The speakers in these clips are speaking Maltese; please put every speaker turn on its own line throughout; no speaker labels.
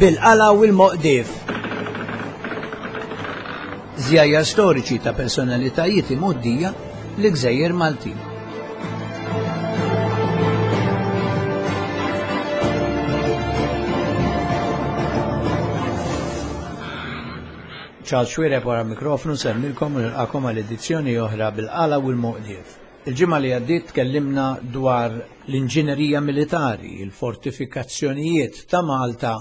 Bil-qala u l-moqdif. Żjajjar storiċi ta' personalitajiet imgħoddija l-Gżejjer Maltin. Charles Xuereb wara mikrofnu nsellmilkom u nilqakom għal edizzjoni oħra bil-qala u l-moqdief. Il-ġimgħa li għaddiet tkellimna dwar l-inġinerija militari, il-fortifikazzjonijiet ta' Malta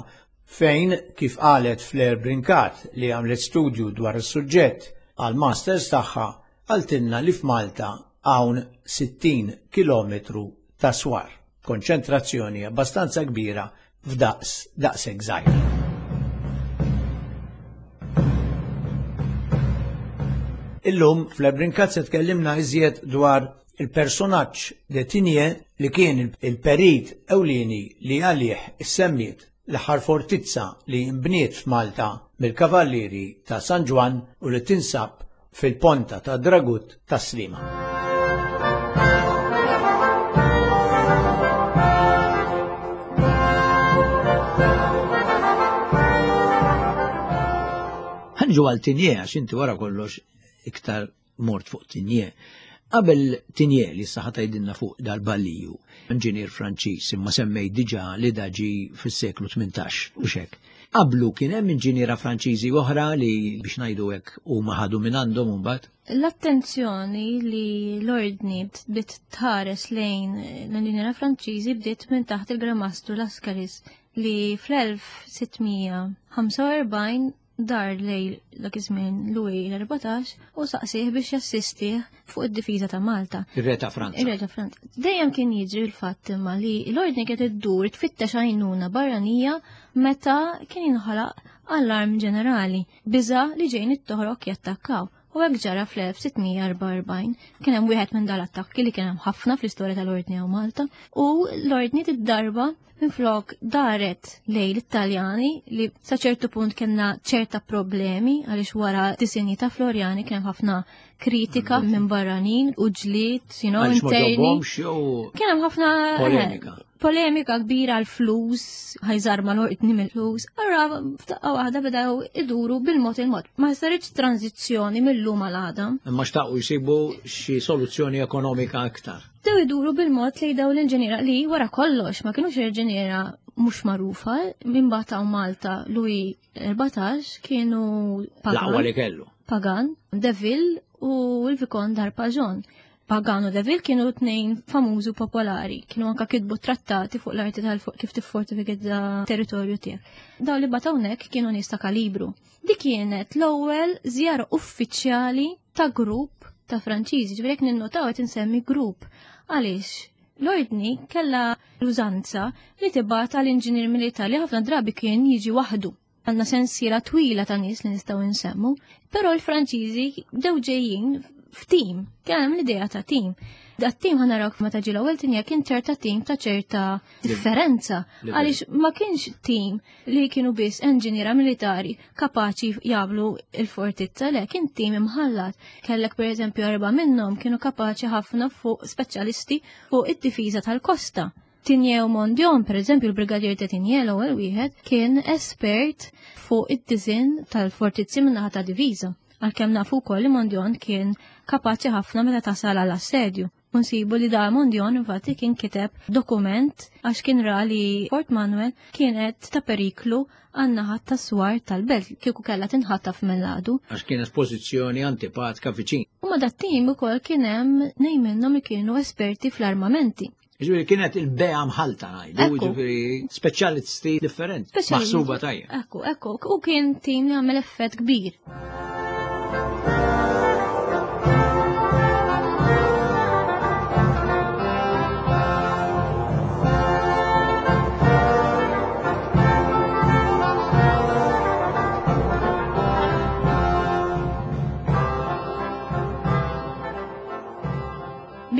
fejn, kif qalet Flair Brincat li għamlet studju dwar is-suġġett għall-masters tagħha, qaltilna li f'Malta hawn 60 kilometru ta' swar, konċentrazzjoni abbastanza kbira f'daqs daqshekk żgħir. Illum fl-Ebrinkat se tkellimna iżjed dwar il-personaġġ de Tinje li kien il-perit ewlieni li għalih issemmiet l-aħħar fortizza li nbniet f'Malta mill-Kavallieri ta' San Ġwann u li tinsab fil-Ponta ta' Dragut tas-Sliema. Ħanġu għal Tinje għax inti wara kollox iktar mort fuq Tinje. Qabel Tinje li saħa tgħidilna fuq dal-balliju, inġinier Franċiż imma semmej diġà li daġi fis-seklu 18 u xek. Qablu kien hemm inġiniera Franċiżi oħra li biex ngħidu hekk huma ħadu minn għandhom imbagħad.
L-attenzjoni li l-ordni bdiet tħares lejn l-inġiniera Franċiżi bdiet minn taħt il-Gran Mastru Lascaris li fl-1645 dar lejl dak iż-żmien Louis l-14 u saqsih biex jassistih fuq id-difiża ta' Malta.
Ir-re ta' Franza.
Ir-re ta' Franza. Dejjem kien jiġri l-fatt imma li l-ordni kienet iddur tfittex għajnuna barranija meta kien jinħalaq allarm ġenerali, biża li ġejn it-toħrok jattakkaw. U hekk ġara fl-1644. Kien hemm wieħed minn dal-attakki li kien hemm ħafna fl-istorja tal-Ordni hawn Malta u l-Ordni tid-darba minflok daret lejn l-Italjani li sa ċertu punt kellna ċerta problemi għaliex wara disinji ta' Floriani kien hemm ħafna kritika minn barranin u ġlied, you know,
interni.
Kien hemm ħafna
eh, polemika.
Polemika kbira għal flus, ħajżarma l-ordni mill-flus. Allura f'daqqa waħda bdew iduru bil-mod il-mod. Ma saritx tranzizzjoni mill-lum għal għada.
Imma xtaqu jsibu xi soluzzjoni ekonomika aktar.
Bdew iduru bil-mod li daw l-inġiniera li wara kollox ma kienux inġiniera mhux magħrufa minn bataw Malta Louis 14 kienu
Pagan. li kellu.
Pagan, Deville u l-Vikon d'Arpajon. Pagan u Deville kienu tnejn famużi u popolari, kienu anka kitbu trattati fuq l-arti tal fuq kif tiffortifikizza territorju tiegħek. Daw li bataw hawnhekk kienu nies ta' kalibru. Dik kienet l-ewwel żjara uffiċjali ta' grupp ta' Franċiżi, ġifieri jekk ninnotaw qed insemmi grupp. Għaliex? L-ordni kellha l-użanza li tibgħat għal inġinier militari li ħafna drabi kien jiġi waħdu. Għandna sensiela twila ta' nies li nistgħu nsemmu, però l-Franċiżi bdew ġejjin f'tim, kien hemm l-idea ta' tim. Dat tim ħanarawk meta ġie l-ewwel tinja kien ċerta tim ta' ċerta differenza għaliex ma kienx tim li kienu biss enġiniera militari kapaċi jagħmlu il-fortizza le kien tim imħallat. Kellek pereżempju erba' minnhom kienu kapaċi ħafna fuq speċjalisti fuq id-difiża tal-kosta. Tinjew Mondion, per eżempju, il-Brigadier ta' Tinje l-ewwel wieħed, kien espert fuq id-diżin tal-fortizzi min-naħa ta' diviża. Għalkemm nafu wkoll li Mondion kien kapaċi ħafna meta tasal għal assedju. U nsibu li da Mondion infatti kien kiteb dokument għax kien ra li Fort Manuel kienet ta' periklu għan-naħa tas-swar tal-belt kieku kellha tinħataf mill-għadu.
Għax kienet pożizzjoni antipatka viċin.
U ma dat-tim ukoll kien hemm nejn minnhom li kienu esperti fl-armamenti.
Ġifieri kienet il-bea mħalta ngħidu, ġifieri speċjalisti differenti, maħsuba tajjeb.
Ekku, ekku, u kien tim li għamel effett kbir.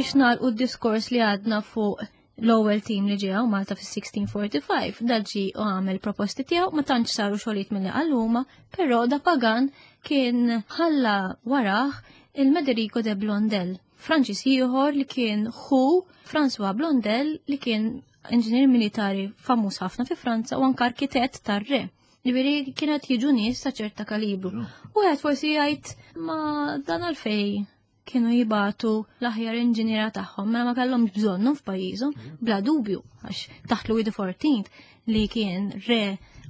Biex nagħlqu d-diskors li għadna fuq l-ewwel tim li ġew Malta fis-1645, da ġi u għamel proposti tiegħu ma tantx saru xogħlijiet milli qal huma, però da Pagan kien ħalla warah il-Mederico de Blondel, Franċis ieħor li kien ħu François Blondel li kien inġinier militari famuż ħafna fi Franza u anke arkitett tar-re. Ġifieri kienet jiġu nies ta' ċerta kalibru. U għed forsi jgħid ma dan għalfej kienu jibatu l-aħjar inġiniera tagħhom mela ma kellhomx bżonnhom f'pajjiżhom, bla dubju, għax taħt Louis XIV li kien re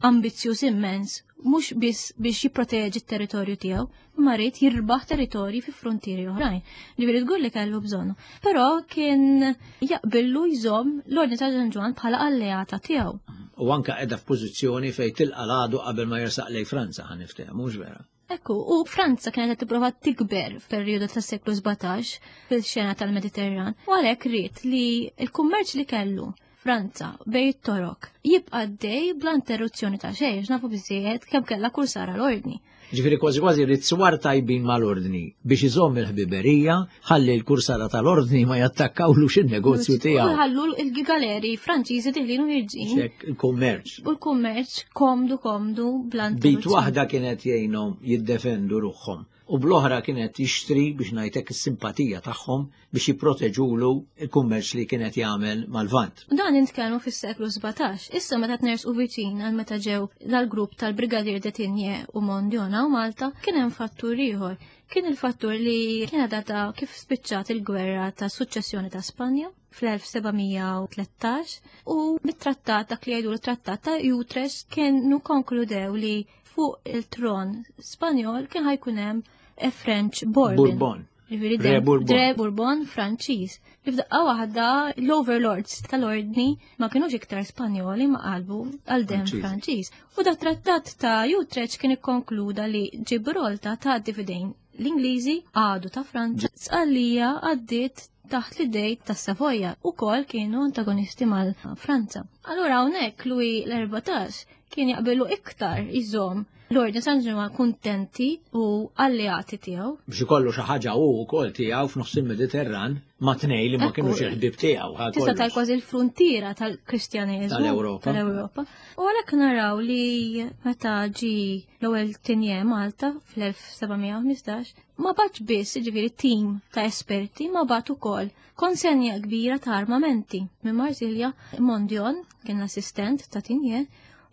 ambizzjuż immens mhux biss biex jipproteġi t-territorju tiegħu, imma ried jirbaħ territorji fi frontieri oħrajn. Ġifieri tgur li kellu bżonnu. Però kien jaqbillu jżomm l-Ordni ta' San Ġwann bħala alleata tiegħu.
U anka qiegħda f'pożizzjoni fejn tilqa' l-għadu qabel ma jersaq lejn Franza ħa niftehmu, mhux vera?
Ekku, u Franza kienet qed tipprova tikber f'perjodu tas-seklu 17 fil-xena tal-Mediterran, u għalhekk ried li l-kummerċ li kellu Franza bej it-Torok jibqa' għaddej bla interruzzjoni ta' xejn, għax nafu biżżejjed kemm kellha kull sara l-ordni.
Ġifieri kważi kważi ried swar tajbin mal-ordni biex iżomm il-ħbiberija ħalli l-kursara tal-ordni ma jattakkawlux in-negozju tiegħu.
U ħallu l-galeri Franċiżi diħlin u ħirġin.
Il-kummerċ.
U l-kummerċ komdu komdu bla
Bit waħda kienet jgħinhom jiddefendu ruħhom u bl-oħra kienet jixtri biex ngħidlek is-simpatija tagħhom biex jipproteġulu l-kummerċ li kienet jagħmel mal-Lvant.
Dan nitkellmu fis-seklu 17. Issa meta tnersqu viċin għal meta ġew dal-grupp tal-Brigadier de Tigné u Mondion u Malta, kien hemm fattur ieħor. Kien il-fattur li kienet data kif spiċċat il-gwerra ta' suċċessjoni ta' Spanja fl-1713 u mit-trattat dak li jgħidu l-trattat ta' Utrecht kienu konkludew li fuq il-tron Spanjol kien ħajkun hemm a French Bourbon.
Bourbon.
Ġifieri
Re Bourbon.
Re Bourbon Franċiż. Li f'daqqa waħda l-overlords tal-ordni ma kienux iktar Spanjoli ma qalbu għal dem Franċiż. U da trattat ta' Utrecht kien ikkonkluda li Ġibraltar tgħaddi f'idejn l-Ingliżi għadu ta' Franza, Sqallija għaddiet taħt l-idej ta' Savoja u kol kienu antagonisti mal-Franza. Allura hawnhekk Louis l-14 kien jaqbilu iktar iżomm l-Ordni San Ġwann kuntenti u alleati tiegħu.
Biex ikollu xi ħaġa hu wkoll tiegħu f'nofs il-Mediterran ma' tnej li ma kinux il-ħbieb tiegħu.
Tista' tal kważi l-fruntiera tal-Kristjaneżmu
tal-Ewropa.
Tal-Ewropa. U għalhekk naraw li meta ġi l-ewwel Tigné Malta fl-1715 ma bagħatx biss jiġifieri tim ta' esperti ma bagħat ukoll konsenja kbira ta' armamenti minn Marsilja. Mondion kien l-assistent ta' Tigné,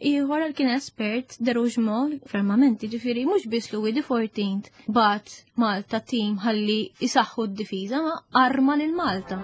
ieħor għal kien espert de Rougemont f'armamenti, ġifieri mhux biss Louis the XIV bagħat Malta tim ħalli jisaħħu d-difiża ma arma lil Malta.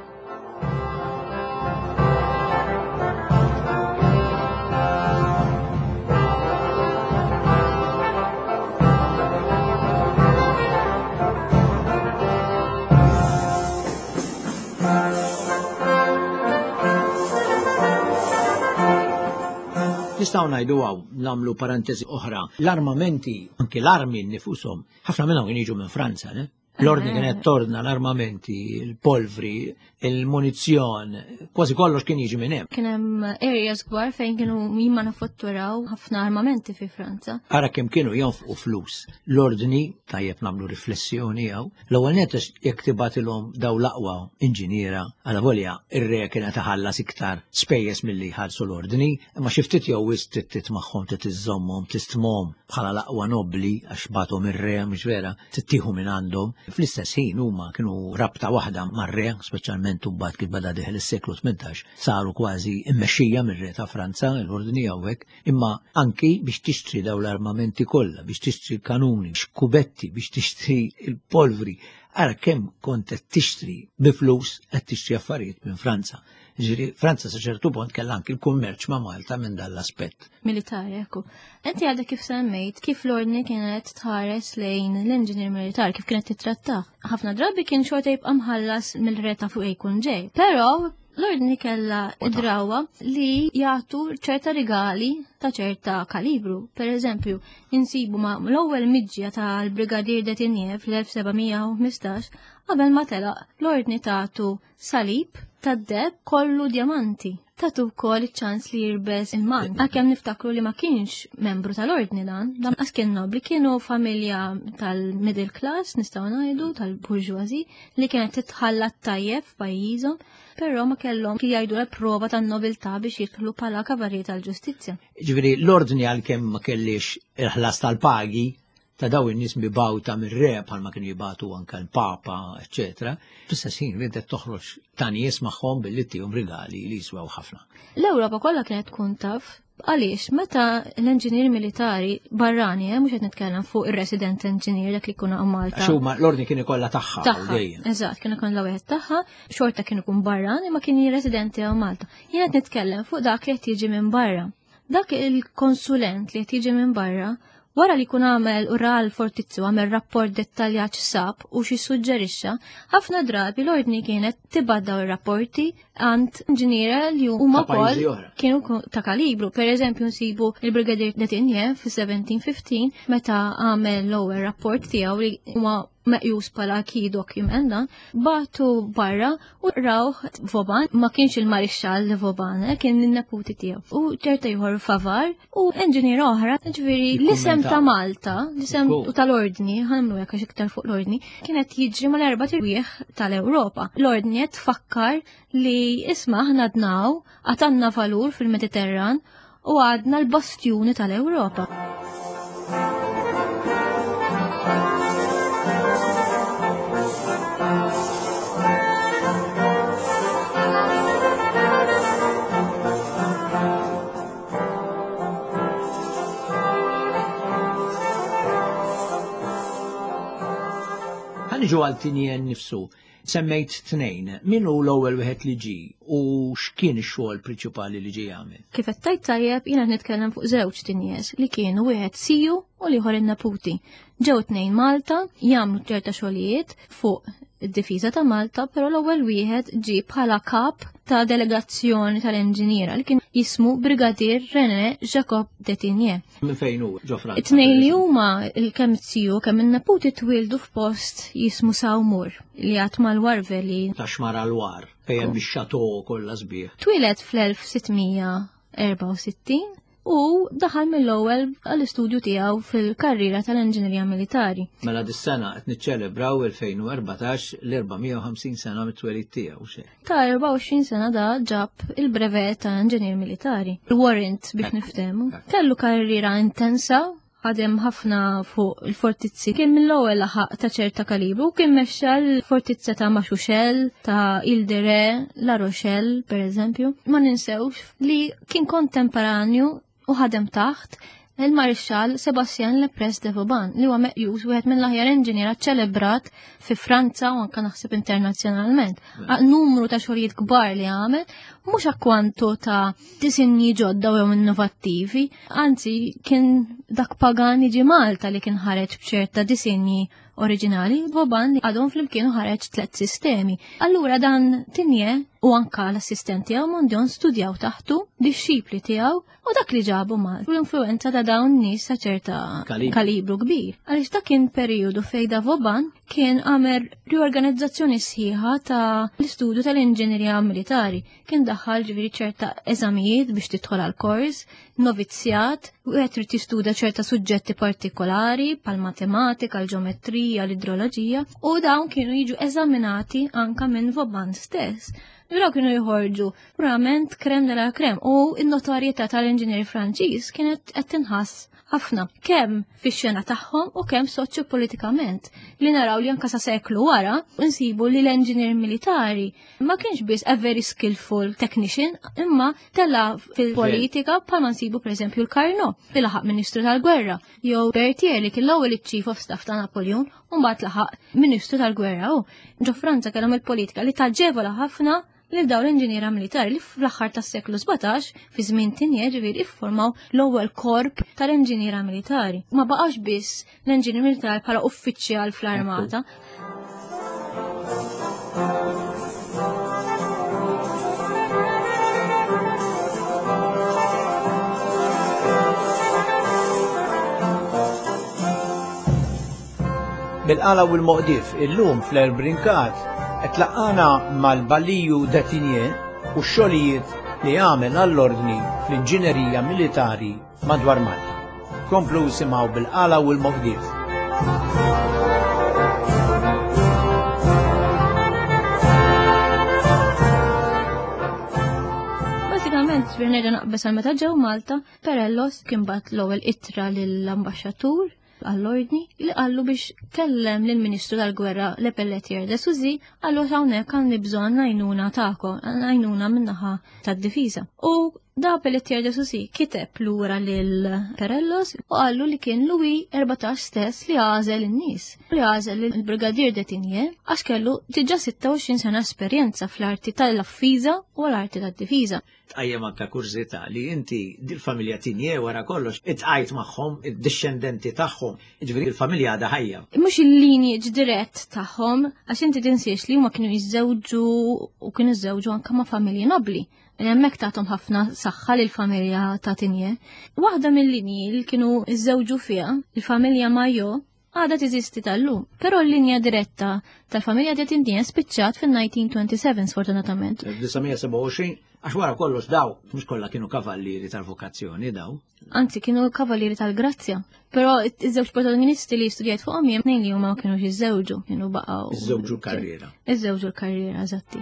Nistgħu ngħidu hawn nagħmlu parentesi oħra. L-armamenti, anki l-armi nnifushom, ħafna minnhom kien jiġu minn Franza, ne? L-ordni kienet torna l-armamenti, il-polvri, il-munizzjon, kważi kollox kien jiġi minn hemm.
Kien hemm areas kbar fejn kienu jimmanifatturaw ħafna armamenti fi Franza.
Ara kemm kienu jonfqu flus. L-ordni, tajjeb nagħmlu riflessjoni hawn, l-ewwel nett jekk tibgħatilhom daw l-aqwa inġiniera, għala volja ir-re kien qed iħallas iktar spejjeż milli jħallsu l-ordni, imma xi ftit jew wisq trid titmagħhom, trid iżżommhom, tistmhom bħala l-aqwa nobbli għax bagħthom ir-re, mhux vera, tittieħu minn għandhom. Fl-istess ħin huma kienu rabta waħda mar-re, speċjalment mbagħad kif beda dieħel is-seklu 18, saru kważi mmexxija mir-re ta' Franza, l-ordni hawnhekk, imma anki biex tixtri daw l-armamenti kollha, biex tixtri l-kanuni, xkubetti, biex tixtri l-polvri. Ara kemm kont qed tixtri bi flus qed tixtri affarijiet minn Franza. Ġifieri Franza sa ċertu punt kellha anki l-kummerċ ma' Malta minn dan l-aspett.
Militari, ekku. Inti għadek kif semmejt kif l-ordni kienet tħares lejn l-inġinier militar, kif kienet titrattah. Ħafna drabi kien xorta jibqa' mħallas mill-re ta' fuq jkun ġej. Però l-ordni kellha id-drawa li jagħtu ċerta rigali ta' ċerta kalibru. Per eżempju, insibu ma' l-ewwel miġja tal-Brigadier de Tigné fl-1715 qabel ma telaq l-ordni tagħtu salib tad-deheb kollu djamanti. Tatu wkoll iċ-ċans li jirbes il-man. Għalkemm niftakru li ma kienx membru tal-ordni dan, dan qas kien nobli, kienu familja tal-middle class, nistgħu ngħidu, tal-bourgeoisie, li kienet titħalla tajjeb f'pajjiżhom, però ma kellhom kif jgħidu la prova tan-nobiltà biex jidħlu bħala kavallieri tal-ġustizzja.
Ġifieri l-ordni għalkemm ma kellix il-ħlas tal-pagi ta' daw in-nies mibgħuta mir-re bħalma kienu jibgħatu anke l-Papa, eċċetera. Fl-istess ħin riedet toħroġ ta' nies magħhom billi tihom rigali li jiswew ħafna.
L-Ewropa kollha kienet tkun taf għaliex meta l-enġinier militari barrani, eh, mhux qed nitkellem fuq ir-resident engineer dak li jkun hawn Malta.
Għax huma l-ordni kien ikollha tagħha
dejjem. Eżatt, kien ikun l-wieħed tagħha, xorta kien ikun barrani ma kien residenti hawn Malta. Jien qed nitkellem fuq dak li qed jiġi minn barra. Dak il-konsulent li qed jiġi minn barra Wara li jkun għamel u ra l-fortizzu għamel rapport dettaljat x'sab u xi suġġerixxa, ħafna drabi l-ordni kienet tibgħat daw ir-rapporti għand inġiniera li huma wkoll kienu ta' kalibru. Per eżempju nsibu il-Brigadier Detinje fi-1715 meta għamel l-ewwel rapport tiegħu li huma meqjus bħala key document dan, batu barra u rawh Voban, ma kienx il-marixxall li Voban, eh, kien il-neputi tiegħu. U ċerta ieħor Favar u enġinier oħra, ġifieri l-isem ta' Malta, l-isem u tal-ordni, ħanamlu hekk għax iktar fuq l-ordni, kienet jiġri mal-erba' tirwieħ tal-Ewropa. L-ordni qed tfakkar li isma' aħna dnaw għatanna valur fil-Mediterran u għadna l-bastjuni tal-Ewropa.
Ħanġu għal tinjen nifsu. Semmejt tnejn, min hu l-ewwel wieħed li ġie u x'kien ix-xogħol prinċipali li ġie jagħmel?
Kif qed tgħid tajjeb, jiena nitkellem fuq żewġ tinjies li kienu wieħed siju u l-ieħor in-neputi. Ġew tnejn Malta jagħmlu ċerta xogħlijiet fuq id-difiża ta' Malta, però l-ewwel wieħed ġie bħala kap ta' delegazzjoni tal-inġiniera li kien jismu Brigadier René Jacob Detigné.
Minn fejn hu ġo Franza?
It-tnejn li huma il-kemm it-tiju kemm in-neputi twildu f'post jismu Sawmur li għad mal-Warveli.
Ta' xmara l-war, fejn hemm ix-xato kollha sbieħ.
Twieled fl-1664 u daħal mill-ewwel għall-istudju tiegħu fil-karriera tal-inġinerija militari.
Mela dis-sena qed niċċelebraw 2014 l-450 sena mit-twelid tiegħu xejn.
Ta' 24 sena da ġab il-brevet ta' inġinier militari. Il-warrant biex niftehmu. Kellu karriera intensa, ħadem ħafna fuq il-fortizzi. Kien mill-ewwel laħaq ta' ċerta kalibru, kien mexxa l-fortizza ta' Maxuxel, ta' Ildere, La Rochelle, per eżempju. Ma ninsewx li kien kontemporanju u ħadem taħt il-Marixxall Sebastien Lepres de Vauban li huwa meqjus wieħed mill-aħjar inġiniera ċelebrat fi Franza u anke naħseb internazzjonalment. Numru ta' xogħlijiet kbar li għamel, mhux akkwantu ta' disinji ġodda u innovattivi, anzi kien dak pagan jiġi Malta li kien ħareġ b'ċerta disinji oriġinali, Vauban għadhom flimkien ħareġ tliet sistemi. Allura dan Tinje u anka l-assistenti tiegħu Mondion studjaw taħtu, dixxipli tiegħu u dak li ġabu mal l-influenza ta' dawn nies ta' ċerta kalibru kbir. Għaliex dak kien periodu fejn da Vauban kien għamel riorganizzazzjoni sħiħa ta' l-istudju tal-inġinerija militari. Kien daħħal ġifieri ċerta eżamijiet biex tidħol għal kors, novizzjat, u qed trid tistuda ċerta suġġetti partikolari pal matematika, l-ġeometrija, l-idroloġija, u dawn kienu jiġu eżaminati anka minn Vauban stess. Dawn kienu jħorġu purament krem de la krem u n-notorjetà tal-inġinier Franċiż kienet qed tinħass ħafna kemm fix-xena tagħhom u kemm soċjopolitikament li naraw li anka sa seklu wara nsibu li l-enġinier militari ma kienx biss a very skillful technician imma tella fil-politika bħalma nsibu pereżempju l-Carnot li laħaq Ministru tal-Gwerra jew Berthier li kien l-ewwel iċ-Chief of Staff ta' Napoleon u mbagħad laħaq Ministru tal-Gwerra u ġo Franza kellhom il-politika li taġevola ħafna lil dawn l-inġiniera militari li fl-aħħar tas-seklu 17 fi żmien Tinje ġifieri iffurmaw l-ewwel korp tal-inġiniera militari. Ma baqax biss l-inġinier militari bħala uffiċjal fl-armata.
Bil-qala u l-moqdif illum fl-Erbrinkat qed laqqana mal-Baliju Detinje u x-xogħlijiet li għamel għall-ordni fl-inġinerija militari madwar Malta. Komplu simgħu bil-qala u l-moqdif.
Basikament, ġviri nerġa' naqbeż għal meta ġew Malta, Perellos kien bat l-ewwel ittra lill-ambaxxatur. għall-ordni li qallu biex kellem lill-Ministru tal-Gwerra Le Pelletier de Suzy qallu hawnhekk għandi bżonn għajnuna tagħkom, għajnuna min-naħa tad-difiża. U da Pelletier de Suzy kiteb lura lil Perellos u qallu li kien Louis 14 stess li għażel in-nies, li għażel il-Brigadier de Tigné għax kellu diġà 26 sena esperjenza fl-arti tal-affiża u l-arti tad-difiża.
Tqajjem anka kurżità li inti dil-familja Tigné wara kollox itqajt magħhom id-dixxendenti tagħhom, jiġifieri il-familja għadha ħajja.
Mhux il-lineage dirett tagħhom, għax inti tinsiex li huma kienu jiżżewġu u kienu jiżżewġu anke ma' familji nobbli. Hemmhekk tagħthom ħafna saħħa lil familja ta' Tinje. Waħda mill-linji li kienu iżżewġu fiha, il-familja Majo, għadha teżisti tal-lum, però l-linja diretta tal-familja ta' Tinje spiċċat fin-1927 sfortunatament.
1927, għax wara kollox daw, mhux kollha kienu kavallieri tal-vokazzjoni daw.
Anzi, kienu kavallieri tal-grazzja. Però iż-żewġ protagonisti li studjajt fuqhom jien tnejn li huma kienu jiżżewġu, kienu baqgħu.
Iżżewġu l-karriera.
Iżżewġu l-karriera, eżatti.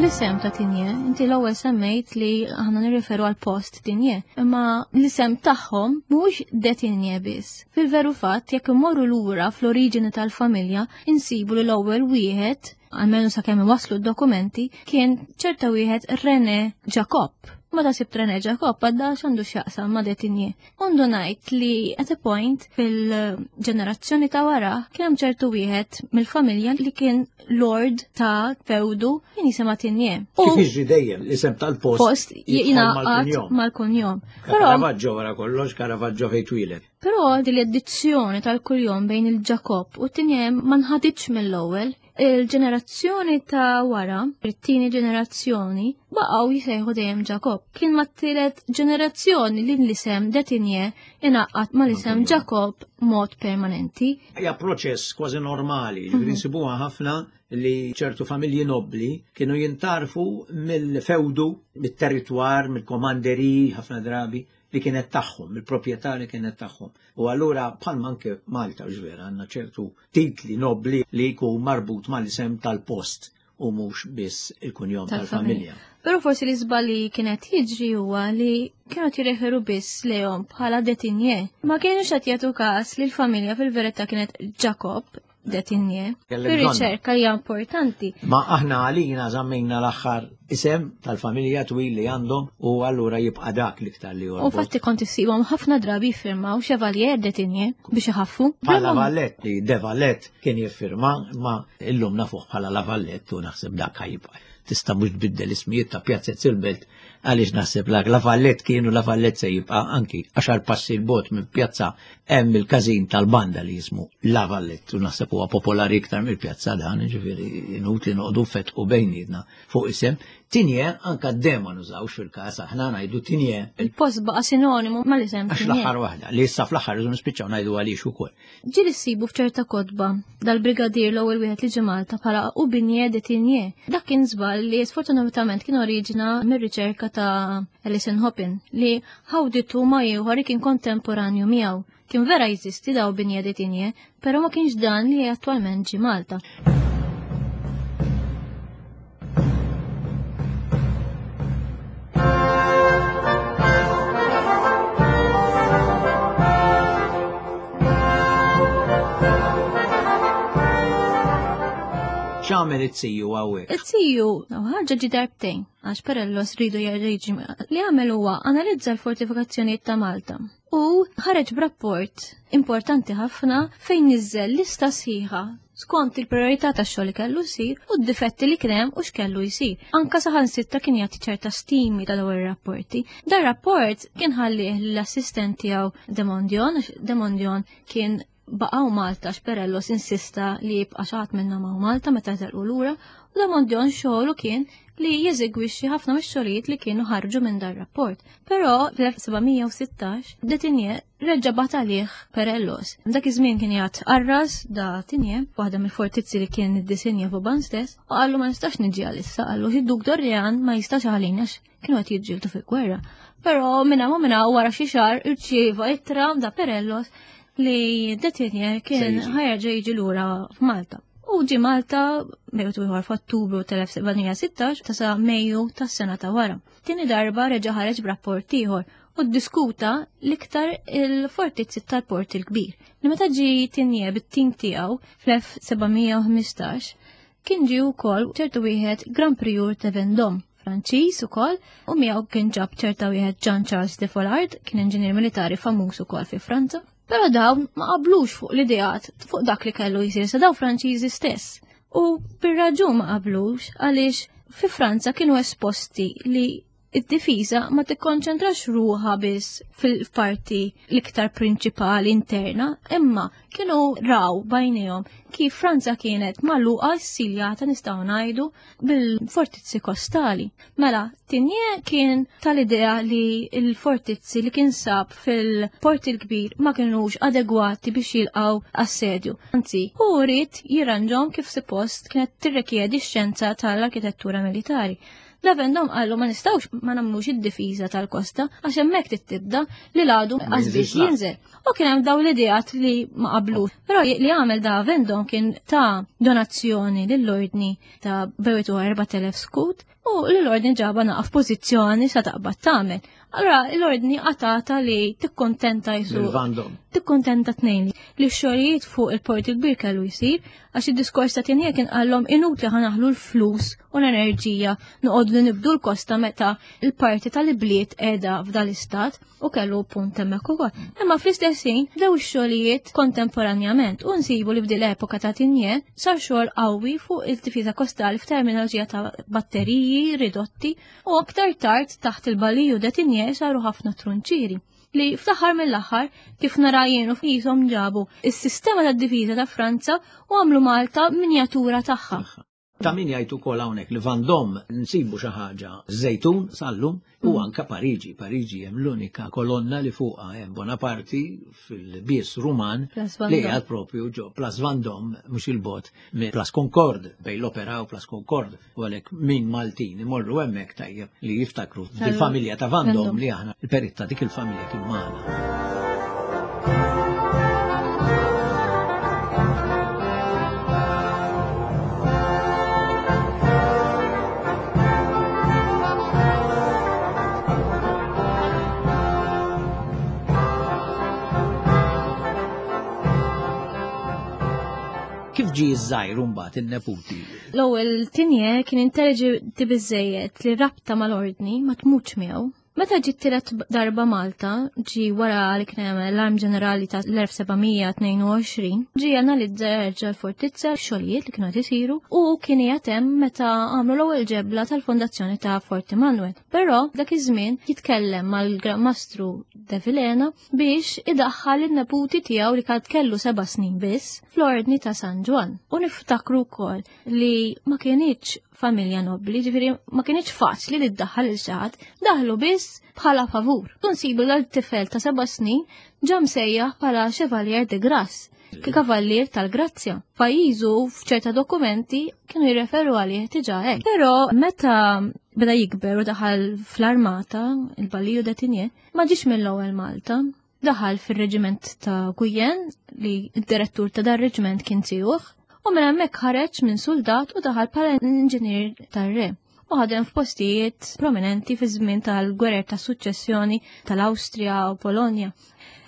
L-isem ta' Tinje, inti l-ewwel semmejt li aħna nirriferu għal post Tinje, imma l-isem tagħhom mhuwiex de Tinje biss. Fil-veru fatt, jekk immorru lura fl-oriġini tal-familja, insibu li l-ewwel wieħed, almenu sakemm waslu d-dokumenti, kien ċerta wieħed René Jacob. Meta sibt René Jacob għadda x'għandu x'jaqsam ma' de Tinje. Undu ngħid li at a point fil-ġenerazzjoni ta' wara kien hemm ċertu wieħed mill-familja li kien lord ta' fewdu kien jisimha Tinje.
Kif jiġri dejjem l-isem tal-post
post jingħaqad mal-kunjom.
Caravaggio wara kollox, Caravaggio fejn twieled.
Però din l-addizzjoni tal-kunjom bejn il-Ġakob u Tinje ma nħaditx mill-ewwel. Il-ġenerazzjoni ta' wara, it-tieni ġenerazzjoni, baqgħu jisejħu dejjem Ġakob. Kien mat-tielet ġenerazzjoni li l-isem de Tinje ingħaqad mal-isem Ġakob mod permanenti.
Hija proċess kważi normali, ġifieri nsibuha ħafna li ċertu familji nobbli kienu jintarfu mill-fewdu, mit-territwar, mill-komanderi ħafna drabi li kienet tagħhom, il-proprjetà li kienet tagħhom. U allura bħalma anke Malta ġvera għandna ċertu titli nobbli li jkun marbut mal-isem tal-post u mhux biss il-kunjom tal-familja.
Però forsi li żball li kienet jiġri huwa li kienu jirreferu biss lejhom bħala de Tinje. Ma kienux qed jagħtu każ li l-familja fil-verità kienet Jacob de Tinje. Ir-riċerka hija importanti.
Ma aħna għalina żammejna l-aħħar isem tal-familja twil li għandhom u allura jibqa' dak l-iktar li
U fatti kont issibhom ħafna drabi jiffirmaw Chevalier de Tinje biex iħaffu.
Bħala Vallet li de Vallet kien jiffirma ma illum nafuh bħala La Vallette u naħseb dak ħajibqa'. Tista' mhux tbiddel ismijiet ta' pjazzez il-belt għaliex naħseb la La Vallette kienu La Vallette se jibqa' anki għaxar passi l-bot minn pjazza hemm il-każin tal-banda li jismu La Vallette u naħseb huwa popolari iktar mill-pjazza dan, ġifieri inutli noqogħdu fetqu bejnietna fuq isem. Tinje anka d-dema nużawx fil-każ aħna ngħidu tinje.
Il-post baqa' sinonimu mal-isem.
Għax l-aħħar waħda li issa fl-aħħar rridu nispiċċaw ngħidu għaliex ukoll.
Ġieli ssibu f'ċerta kotba dal-brigadier l-ewwel wieħed li ġie Malta bħala Ubinje de Tinje. Dak kien żball li sfortunatament kien oriġina mir-riċerka ta' Alison Hoppin li ħawditu ma' ieħor li kien kontemporanju miegħu. Kien vera jeżisti daw Binje de Tinje, però ma kienx dan li attwalment ġie Malta.
X'għamel it-tiju hawnhekk?
It-tiju ħaġa ġi darbtejn, għax Perellos ridu jerġa' Li għamel huwa analizza l-fortifikazzjonijiet ta' Malta u ħareġ b'rapport importanti ħafna fejn niżel lista sħiħa skont il-priorità tax-xogħol li kellu jsir u d-difetti li kien hemm u x'kellu jsir. Anka saħansitra kien jagħti ċerta stimi ta' dawn ir-rapporti. Dan rapport kien ħallih l-assistent tiegħu Demondion, Demondion kien baqgħu Malta x'Perellos insista li jibqa' xi ħadd minnhom hawn Malta meta telqu lura u Demondion xogħlu kien li jeżegwixxi ħafna mix-xogħlijiet li kienu ħarġu minn dar rapport. Però fl-1716 Detinje reġa' bagħat għalih Perellos. Dak iż-żmien kien jgħid arras da Tinje, waħda mill-fortizzi li kien iddisinja Vauban stess, u qallu ma nistax niġi għalissa, qallu id-Duk Dorlean ma jistax għalina għax kienu qed jiġġieldu fil-gwerra. Però minna ma minna wara xi xahar irċieva ittra da Perellos li de Tigné kien ħajerġa' jiġi lura f'Malta. U ġi Malta bejt ieħor f'Ottubru tal-1716 ta' sa Mejju tas-sena ta' wara. Tieni darba reġa' ħareġ b'rapport ieħor u ddiskuta l-iktar il-fortizzi tal-Port il-Kbir. Li meta ġi Tigné bit-tim tiegħu fl-1715 kien ġie wkoll ċertu wieħed Grand Prieur de Vendôme, Franċiż ukoll, u miegħu kien ġab ċerta wieħed Jean Charles de Follard, kien inġinier militari famuż ukoll fi Franza. Però dawn ma qablux fuq l-ideat fuq dak li kellu jsir sa daw Franċiżi stess. U bir-raġun ma qablux għaliex fi Franza kienu esposti li id-difiża ma tikkonċentrax ruħha biss fil-parti l-iktar prinċipali interna, imma kienu raw bajnejhom kif Franza kienet magħluqa ssiljata nistgħu ngħidu bil-fortizzi kostali. Mela, Tigné kien tal-idea li l-fortizzi li kien sab fil-Port il-Kbir ma kienux adegwati biex jilqgħu assedju. Anzi, hu ried jirranġhom kif suppost kienet tirrikjedi x-xjenza tal-arkitettura militari. La Vendôme qallu ma nistgħux ma nagħmlux id-difiża tal-kosta għax hemmhekk trid li l-għadu qasbiex jinżel. U kien hemm dawn l-ideat li ma qablux. Però li għamel da Vendôme kien ta' donazzjoni lill-ordni ta' bewitu 4000 skut u l-ordni ġaba naqaf pożizzjoni sa taqbad tagħmel. Allora l-ordni qatata li tikkontenta jisu. Tikkontenta tnejn li x-xogħlijiet fuq il-port il-kbir kellu jsir għax id-diskors ta' Tinje kien qallhom inutli ħanaħlu l-flus u l-enerġija noqogħdu nibdu l-kosta meta l-parti tal-ibliet qiegħda f'dal-istat u kellu punt hemmhekk ukoll. Imma fl-istess ħin bdew ix-xogħlijiet kontemporanjament u nsibu li f'dil epoka ta' Tinje sar xogħol qawwi fuq il-difiża kostali f'terminoloġija ta' batteriji ridotti u aktar tard taħt il-baliju de Tinje saru ħafna trunċieri li fl-aħħar mill-aħħar kif nara jien u f'qishom ġabu is-sistema tad-difiża ta' Franza u għamlu Malta minjatura tagħha.
Ta' min jgħid ukoll hawnhekk li Vendôme nsibu xi ħaġa Żejtun sallum u anka Pariġi. Pariġi hemm l-unika kolonna li fuqha hemm Bonaparte fil-bies Ruman li qiegħed propju ġo Place Vendôme mhux il-bot minn Place Concorde bejn l-Opera u Place Concorde. U għalhekk min Maltin imorru hemmhekk tajjeb li jiftakru fil-familja ta' Vendôme li aħna il-perit ta' dik il-familja kien magħna. Kif ġie ż-żgħir mbagħad in-neputi?
L-ewwel Tinje kien intelligenti biżejjed li rabta mal-ordni ma tmutx miegħu. Meta ġiet tielet darba Malta, ġi wara li kien hemm l-Arm Ġenerali ta' l-1722, ġi analizza jerġa' l-fortizza xogħlijiet li kienu qed isiru u kien qiegħed hemm meta għamlu l-ewwel ġebla tal-fondazzjoni ta' Forti Manuel. Però dak iż-żmien jitkellem mal-Gran Mastru de Vilhena biex idaħħal in-neputi tiegħu li kad kellu 7 snin biss fl-Ordni ta' San Ġwann. U niftakru wkoll li ma kienitx familja nobbli, ġifieri ma kienitx faċli li ddaħħal il xi ħadd, daħlu biss bħala favur. Nsibu l-tifel ta' 7 snin ġa msejjaħ bħala Chevalier de Grasse, kavallier tal-Grazzja. Pajjiżu f'ċerta dokumenti kienu jirreferu għalih diġà hekk. Però meta beda jikber u daħal fl-armata, il-Baliju de Tigné, ma ġiex mill-ewwel Malta. Daħal fir-reġiment ta' Guyenne li d-direttur ta' dar reġiment kien tiegħu u minn hemmhekk ħareġ minn soldat u daħal bħala inġinier tar-re u ħadem f'postijiet prominenti fi żmien tal-gwerer ta' suċċessjoni tal-Awstrija u Polonja.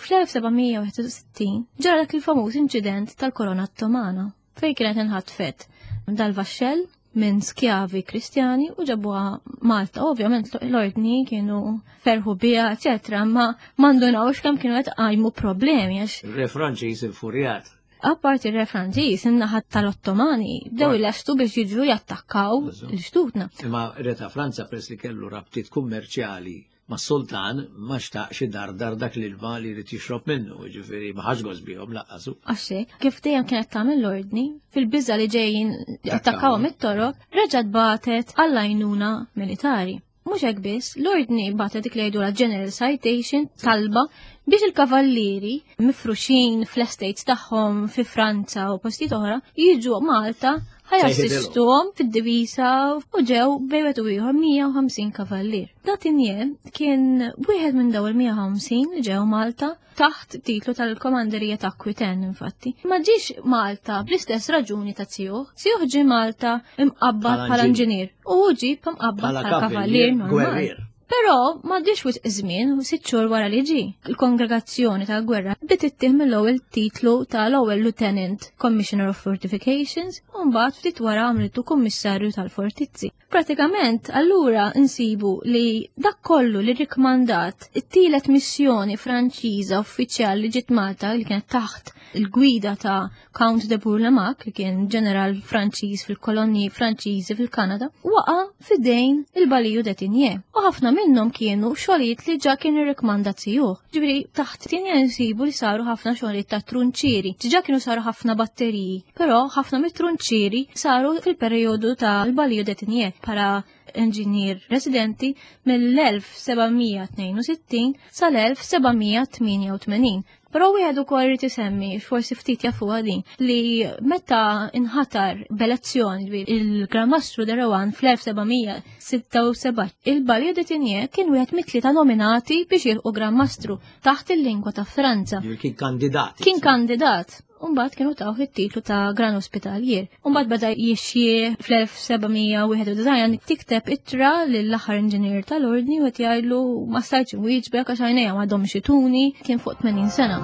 Fl-1761 ġara dak il-famuż inċident tal-Korona Ottomana fejn kienet inħatfet dal-vaxxell minn skjavi kristjani u ġabuha Malta. Ovvjament l-ordni kienu ferħu biha, eċetera, ma mandunawx kemm kienu qed qajmu problemi għax.
Re Franċiż infurjat.
Apparti re Franċiż, in-naħa tal-Ottomani bdew ilestu biex jiġu jattakkaw l-xtutna.
Imma re ta' Franza press li kellu rabtiet kummerċjali mas-sultan ma xtaqx idardar dak l-ilma li jrid jixrob minnu, jiġifieri ma ħax gost bihom lanqas hu.
Għax hekk, kif dejjem kienet tagħmel l-ordni, fil-biża' li ġejjin jattakkawhom it-Torok, reġgħet bagħtet għall-għajnuna militari. Mhux hekk biss, l-ordni bagħtet dik li jgħidulha General Citation, talba biex il-kavallieri mifruxin fl-estates tagħhom fi Franza u postijiet oħra jiġu Malta. Ħa jassistuhom fid-divisa u ġew bejn wieħed u ieħor 150 kavallier. Datinje kien wieħed minn dawn il-150 li ġew Malta taħt titlu tal-Komanderija ta' Aquitaine infatti. Ma ġiex Malta bl-istess raġuni ta' Zijuh. Zijuh ġie Malta imqabbad bħala inġinier u hu ġie imqabbad bħala kavallier normali. Però m'għaddiex wisq żmien u sitt xhur wara li ġie, il-Kongregazzjoni tal-Gwerra bdiet ittih mill-ewwel titlu tal-ewwel Lieutenant Commissioner of Fortifications u mbagħad ftit wara għamlitu Kummissarju tal-Fortizzi. Pratikament allura nsibu li dak kollu li rikmandat it-tielet missjoni Franċiża uffiċjali li ġiet Malta li kienet taħt il-gwida ta' Count de Bourlamaque, li kien ġeneral Franċiż fil-kolonji Franċiżi fil-Kanada, waqa' fidejn il-Baliju de Tigné. U ħafna minnhom kienu xogħlijiet li ġa kien irrikmanda zijuh. Ġifieri taħt Tigné nsibu li saru ħafna xogħlijiet ta' trunċieri. Ġa kienu saru ħafna batteriji, però ħafna mit-trunċieri saru fil-perjodu tal-Baliju de Tigné bħala inġinier residenti mill-1762 sal-1788. Però wieħed ukoll irid isemmi, forsi ftit jafuha din, li meta inħatar b'elezzjoni il-Gran Mastru de Rohan fl-1776, il-Balio de Tigné kien wieħed mit-tlieta nominati biex jilqu Gran Mastru taħt il-lingwa ta' Franza.
Kien kandidat.
Kien kandidat. Umbagħad kienu tawh it-titlu ta' Gran Ospitalier. Umbagħad beda jixjieħ fl-1791 tikteb ittra lill-aħħar inġinier tal-ordni u qed jgħidlu ma stajtx inwieġbek għax għajnejja m'għadhomx ituni, kien fuq 80 sena.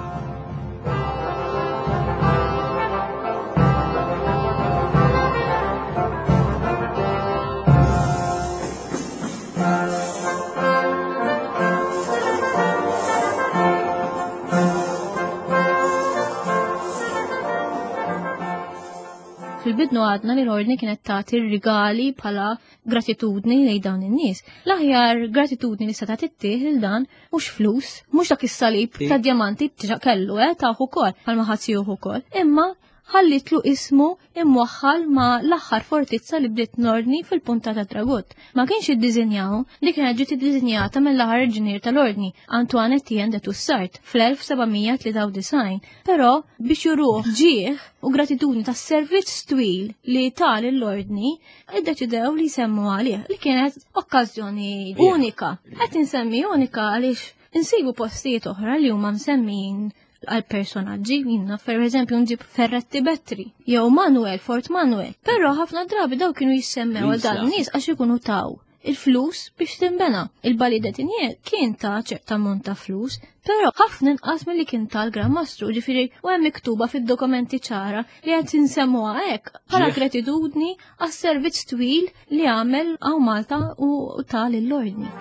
Fil-bidnu għadna li l-ordni kienet tagħti rigali bħala gratitudni lejn dawn in-nies. L-aħjar gratitudni li seta' tittieħ lil dan mhux flus, mhux dak is-salib ta' djamanti diġà kellu eh tawh ukoll bħalma ħadd ukoll, imma ħallitlu ismu imwaħħal ma' l-aħħar fortizza li bdiet l-Ordni fil-Punta ta' Dragut. Ma kienx iddiżinjahu, li kienet ġiet iddiżinjata mill-aħħar inġinier tal-Ordni, Antoine Etienne de Toussaint, fl-1793. Però biex juruh ġieħ u gratitudni tas-servizz twil li ta lill-Ordni, iddeċidew li jsemmu għalih, li kienet okkażjoni unika. Qed insemmi unika għaliex insibu postijiet oħra li huma msemmijin għal personaġġi, jina per eżempju nġib Ferretti Bettri, jew Manuel, Fort Manuel. Però ħafna drabi daw kienu jissemmew għal dan nies għax ikunu taw il-flus biex timbena. Il-Bali Detinje kien ta' ċerta ammont ta' flus, però ħafna inqas milli kien tal-Gran Mastru, ġifieri u hemm miktuba fid-dokumenti ċara li qed insemmuha hekk bħala gratitudni għas-servizz twil li għamel għaw Malta u ta' lill-ordni.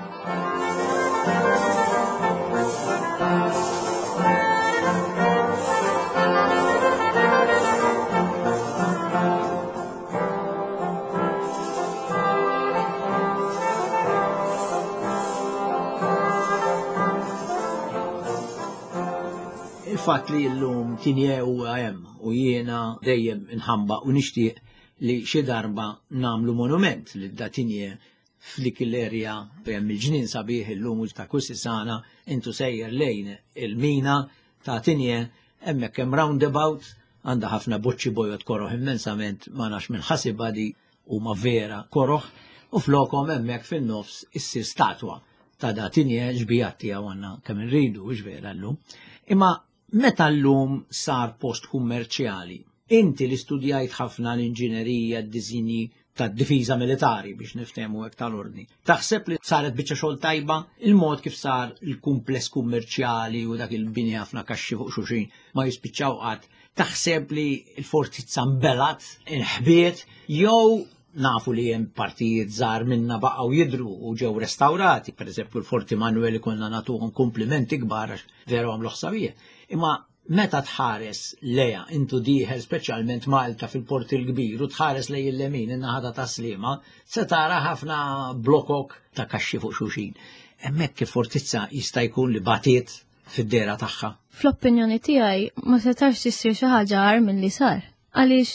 Il-fatt li llum tinje huwa hemm u jiena dejjem inħamba u nixtieq li xi darba nagħmlu monument lil Datinje f'dik l-erja fejn hemm il-ġnien sabiħ illum ta' Kusisana intu sejjer lejn il-mina ta' Tinje hemmhekk hemm roundabout għandha ħafna boċċi bojod koroh immensament ma nafx minn ħasibha di huma vera koroh u flokhom hemmhekk fin-nofs issir statwa ta' Datinje xbijat tiegħu għandna kemm irridu hux vera llum. Imma Meta llum sar post kummerċjali, inti li studjajt ħafna l-inġinerija, d-diżinji tad-difiża militari biex niftehmu hekk tal-ordni, taħseb li saret biċċa xogħol tajba il-mod kif sar il-kumpless kummerċjali u dak il-bini ħafna kaxxi fuq xulxin ma jispiċċaw qatt? Taħseb li l-fortizza nbelgħet, inħbiet jew nafu li hemm partijiet żgħar minna baqgħu jidhru u ġew restawrati, pereżempju l-Forti Manuel konna nagħtuhom kumplimenti kbar għax veru għamlu ħsabija. Imma meta tħares leja intu dieħel speċjalment Malta fil-Port il-Kbir u tħares lej il-lemin in-naħa ta' Taslima, se tara ħafna blokok ta' kaxxi fuq xulxin. Hemmhekk il-fortizza jista' jkun li batiet fid-dehra tagħha.
Fl-opinjoni tiegħi ma setax issir xi ħaġa agħar milli sar. Għaliex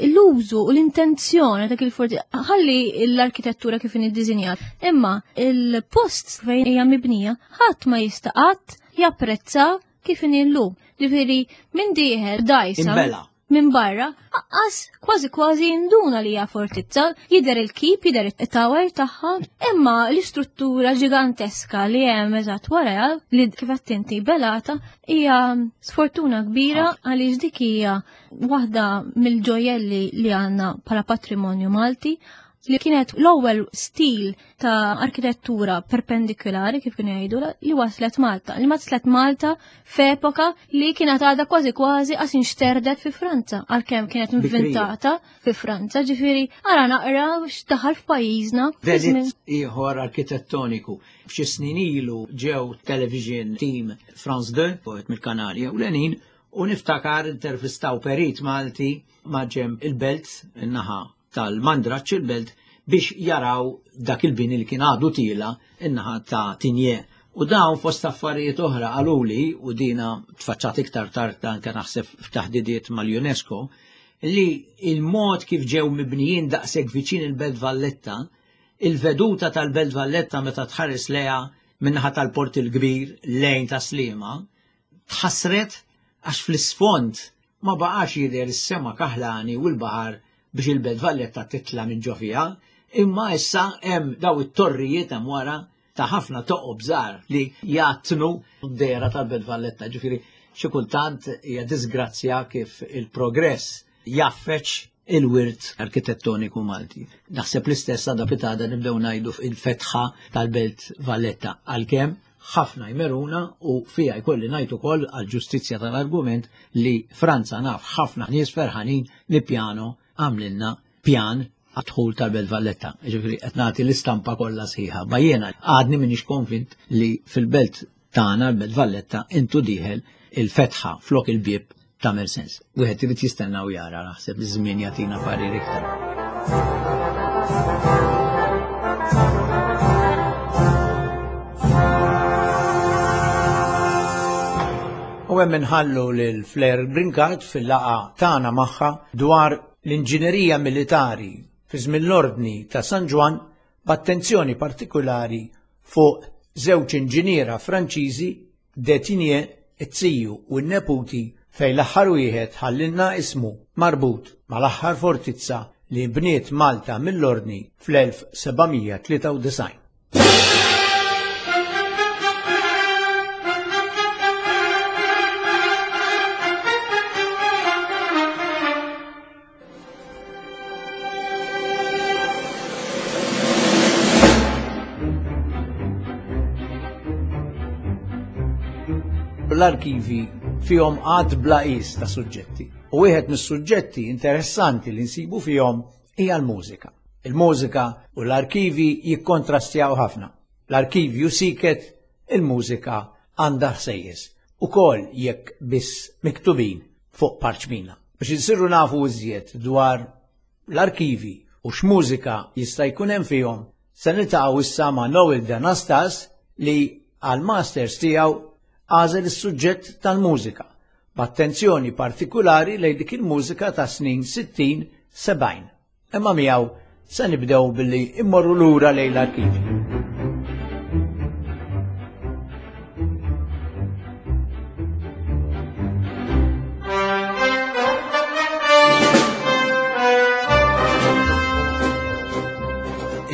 l-użu u l-intenzjoni ta' il-forti ħalli l-arkitettura kif iddisinjat, imma il-post fejn hija mibnija ħadd ma jista' qatt japprezza kif inhi llum. Ġifieri minn dieħel dajsa.
Imbela.
minn barra, aqqas kważi kważi jinduna li hija fortizza, jidher il-kip, jidher it-tower tagħha, imma l-istruttura ġiganteska li hemm eżatt wara li kif qed inti belata hija sfortuna kbira għaliex dik hija waħda mill-ġojelli li għandna bħala patrimonju Malti li kienet l-ewwel stil ta' arkitettura perpendikulari kif kienu jgħidu li waslet Malta. Li waslet Malta f'epoka li kienet għadha kważi kważi qas inxterdet fi Franza, għalkemm kienet inventata fi Franza, ġifieri ara naqra x'daħal f'pajjiżna.
Delitt ieħor arkitettoniku. F'xi snin ilu ġew television team France 2, wieħed mill-kanali ewlenin, u niftakar intervistaw perit Malti ma' ġenb il-belt, in-naħa tal-Mandraġġ il-belt biex jaraw dak il-bini li kien għadu tiela in-naħa ta' Tinje. U dawn fost affarijiet oħra qaluli, u dina tfaċċat iktar tard anke naħseb f'taħdidiet mal-UNESCO, li il-mod kif ġew mibnijin daqshekk viċin il-Belt Valletta, il-veduta tal-Belt Valletta meta tħares lejha min-naħa tal-Port il-Kbir lejn ta' Sliema, tħassret għax fl-isfond ma baqax jidher is-sema kaħlani u l-baħar biex il-Belt Valletta titla' minn ġo fiha, imma issa hemm daw it-torrijiet hemm wara ta' ħafna toqob żgħar li jgħattnu d-dehra tal-Belt Valletta. Ġifieri xi kultant hija disgrazzja kif il-progress jgħaffeġ il-wirt arkitettoniku Malti. Naħseb l-istess għada pitada nibdew ngħidu il-fetħa tal-Belt Valletta għalkemm ħafna jmeruna u fija jkolli ngħid ukoll għall-ġustizzja tal-argument li Franza naf ħafna nies ferħanin li Piano għamlilna pjan għad-dħul tal-Belt Valletta. Ġifieri qed nagħti l-istampa kollha sħiħa. Ma jiena għadni m'iniex konvint li fil-belt tagħna l-Belt Valletta intu dieħel il-fetħa flok il-bieb tagħmel sens. Wieħed irid jistenna u jara naħseb iż-żmien jagħtina parir iktar. U hemm inħallu lil Flair Brincat fil-laqa tagħna magħha dwar l-inġinerija militari fi żmien l-Ordni ta' San Ġwann b'attenzjoni partikulari fuq żewġ inġiniera Franċiżi De Tigné, it-ziju u n-neputi fejn l-aħħar wieħed ħallilna ismu marbut mal-aħħar fortizza li nbniet Malta mill-Ordni fl-1793. L-arkivi fihom għad bla qis ta' suġġetti. U wieħed mis-suġġetti interessanti li nsibu fihom hija l-mużika. Il-mużika u l-arkivi jikkontrastjaw ħafna. L-arkivju siket, il-mużika għandha ħsejjes. Ukoll jekk biss miktubin fuq parċmina. Biex insiru nafu iżjed dwar l-arkivi u x'mużika jista' jkun hemm fihom, se niltaqgħu issa ma' Noel D'Anastas li għall-masters tiegħu għażel is-suġġett tal-mużika, b'attenzjoni partikulari lejn dik il-mużika tas-snin 60, 70. Imma miegħu se nibdew billi immorru lura lejn l-arkivji.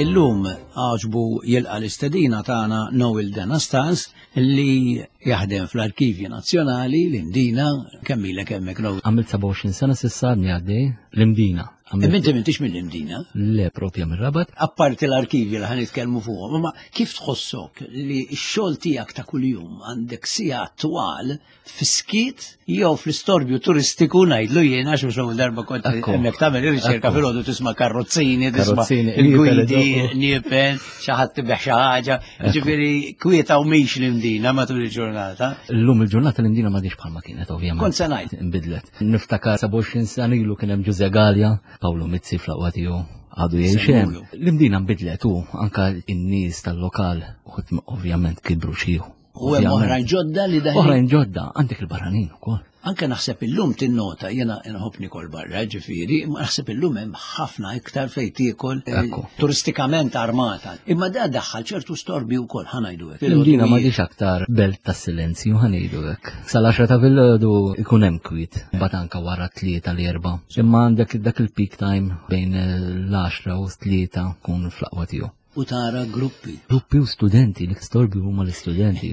Illum għaġbu jilqa l-istedina tagħna Noel Denastas li jaħdem fl-Arkivji Nazzjonali l-Imdina kemm ilek hemmhekk Noel?
Għamilt 27 sena s'issa għadni għaddej l-Imdina.
Inti m'intix mill-Imdina?
Le, propja mir-Rabat.
Apparti l-arkivji li ħan nitkellmu fuqhom, imma kif tħossok li x-xogħol tiegħek ta' kuljum għandek sigħat twal fis-skiet jew fl-istorbju turistiku ngħidlu jien għax mhux l-ewwel darba kont hemmhekk tagħmel ir-riċerka filgħodu tisma' karrozzini, tisma' il-gwidi, niepel, xi ħadd tibih xi ħaġa, ġifieri kwieta u mhix l-Imdina matul il-ġurnata.
Illum il-ġurnata l-Imdina m'għadhiex bħalma kienet ovvjament.
Kont se ngħid.
Inbidlet. Niftakar 27 sena ilu kien hemm Ġuże Galea, Pawlu Mizzi fl-aqwa tiegħu għadu jgħix hemm. L-Imdina nbidlet u anka n-nies tal-lokal uħud ovvjament kibru xi
U hemm oħrajn ġodda li daħlin.
Oħrajn ġodda, għandek il-barranin ukoll.
Anke naħseb illum tinnota, jiena nħobb nikol barra, ġifieri, imma naħseb illum hemm ħafna iktar fejn tiekol eh, turistikament armata. Imma da daħħal ċertu storbi wkoll ħanajdu
hekk. L-Imdina m'għadix aktar belt tas-silenzju ħanejdu hekk. Sal-10 ta' filgħodu ikun hemm kwiet, mbagħad anke wara tlieta l-erba'. Imma għandek dak il-peak time bejn l-10 u tlieta kun fl-aqwa tiegħu.
U tara gruppi.
Gruppi u studenti, li storbi huma l-istudenti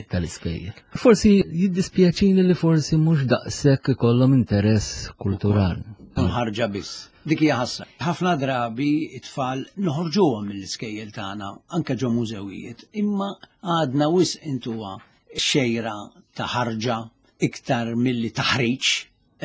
tal-iskejjel. Forsi jiddispjaċini li forsi mhux daqshekk ikollhom interess kulturali.
Mħarġa biss. Dik hija ħassa. Ħafna drabi it-tfal noħorġuhom mill-iskejjel tagħna anke ġo mużewijiet, imma għadna wisq intuha xejra ta' ħarġa iktar milli taħriġ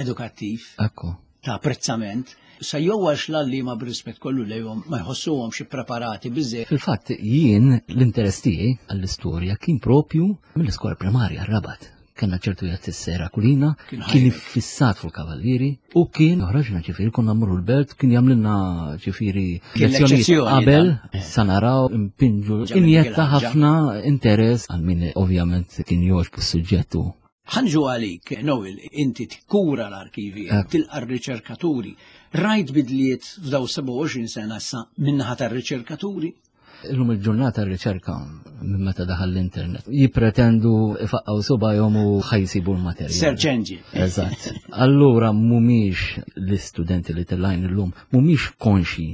edukattiv.
Ekku.
Ta' apprezzament. Sa jew għax l-għalliema b'rispett kollu lejhom ma jħossuhomx ippreparati biżżejjed.
Fil-fatt jien l-interess tiegħi għall-istorja kien propju mill-iskola primarja r-Rabat. Kellna ċertu jgħid is-sera kulina, kien iffissat fuq il-kavallieri u kien joħroġna ġifieri konna mmorru l-belt, kien jagħmlilna ġifieri lezzjonijiet qabel sa naraw impinġu injetta ħafna interess għal min ovvjament kien jogħġbu s-suġġett u
Ħa nġu għalik, Noel, inti tikkura l-arkivi, tilqa' r-riċerkaturi. Rajt bidliet f'daw 27 sena issa min-naħa tar-riċerkaturi?
Illum il-ġurnata r-riċerka minn meta daħal l-internet jippretendu ifaqqgħu subgħajhom u ħa jsibu l-materjal.
Search engine.
Eżatt. Allura mhumiex l-istudenti li tellajn illum mhumiex konxji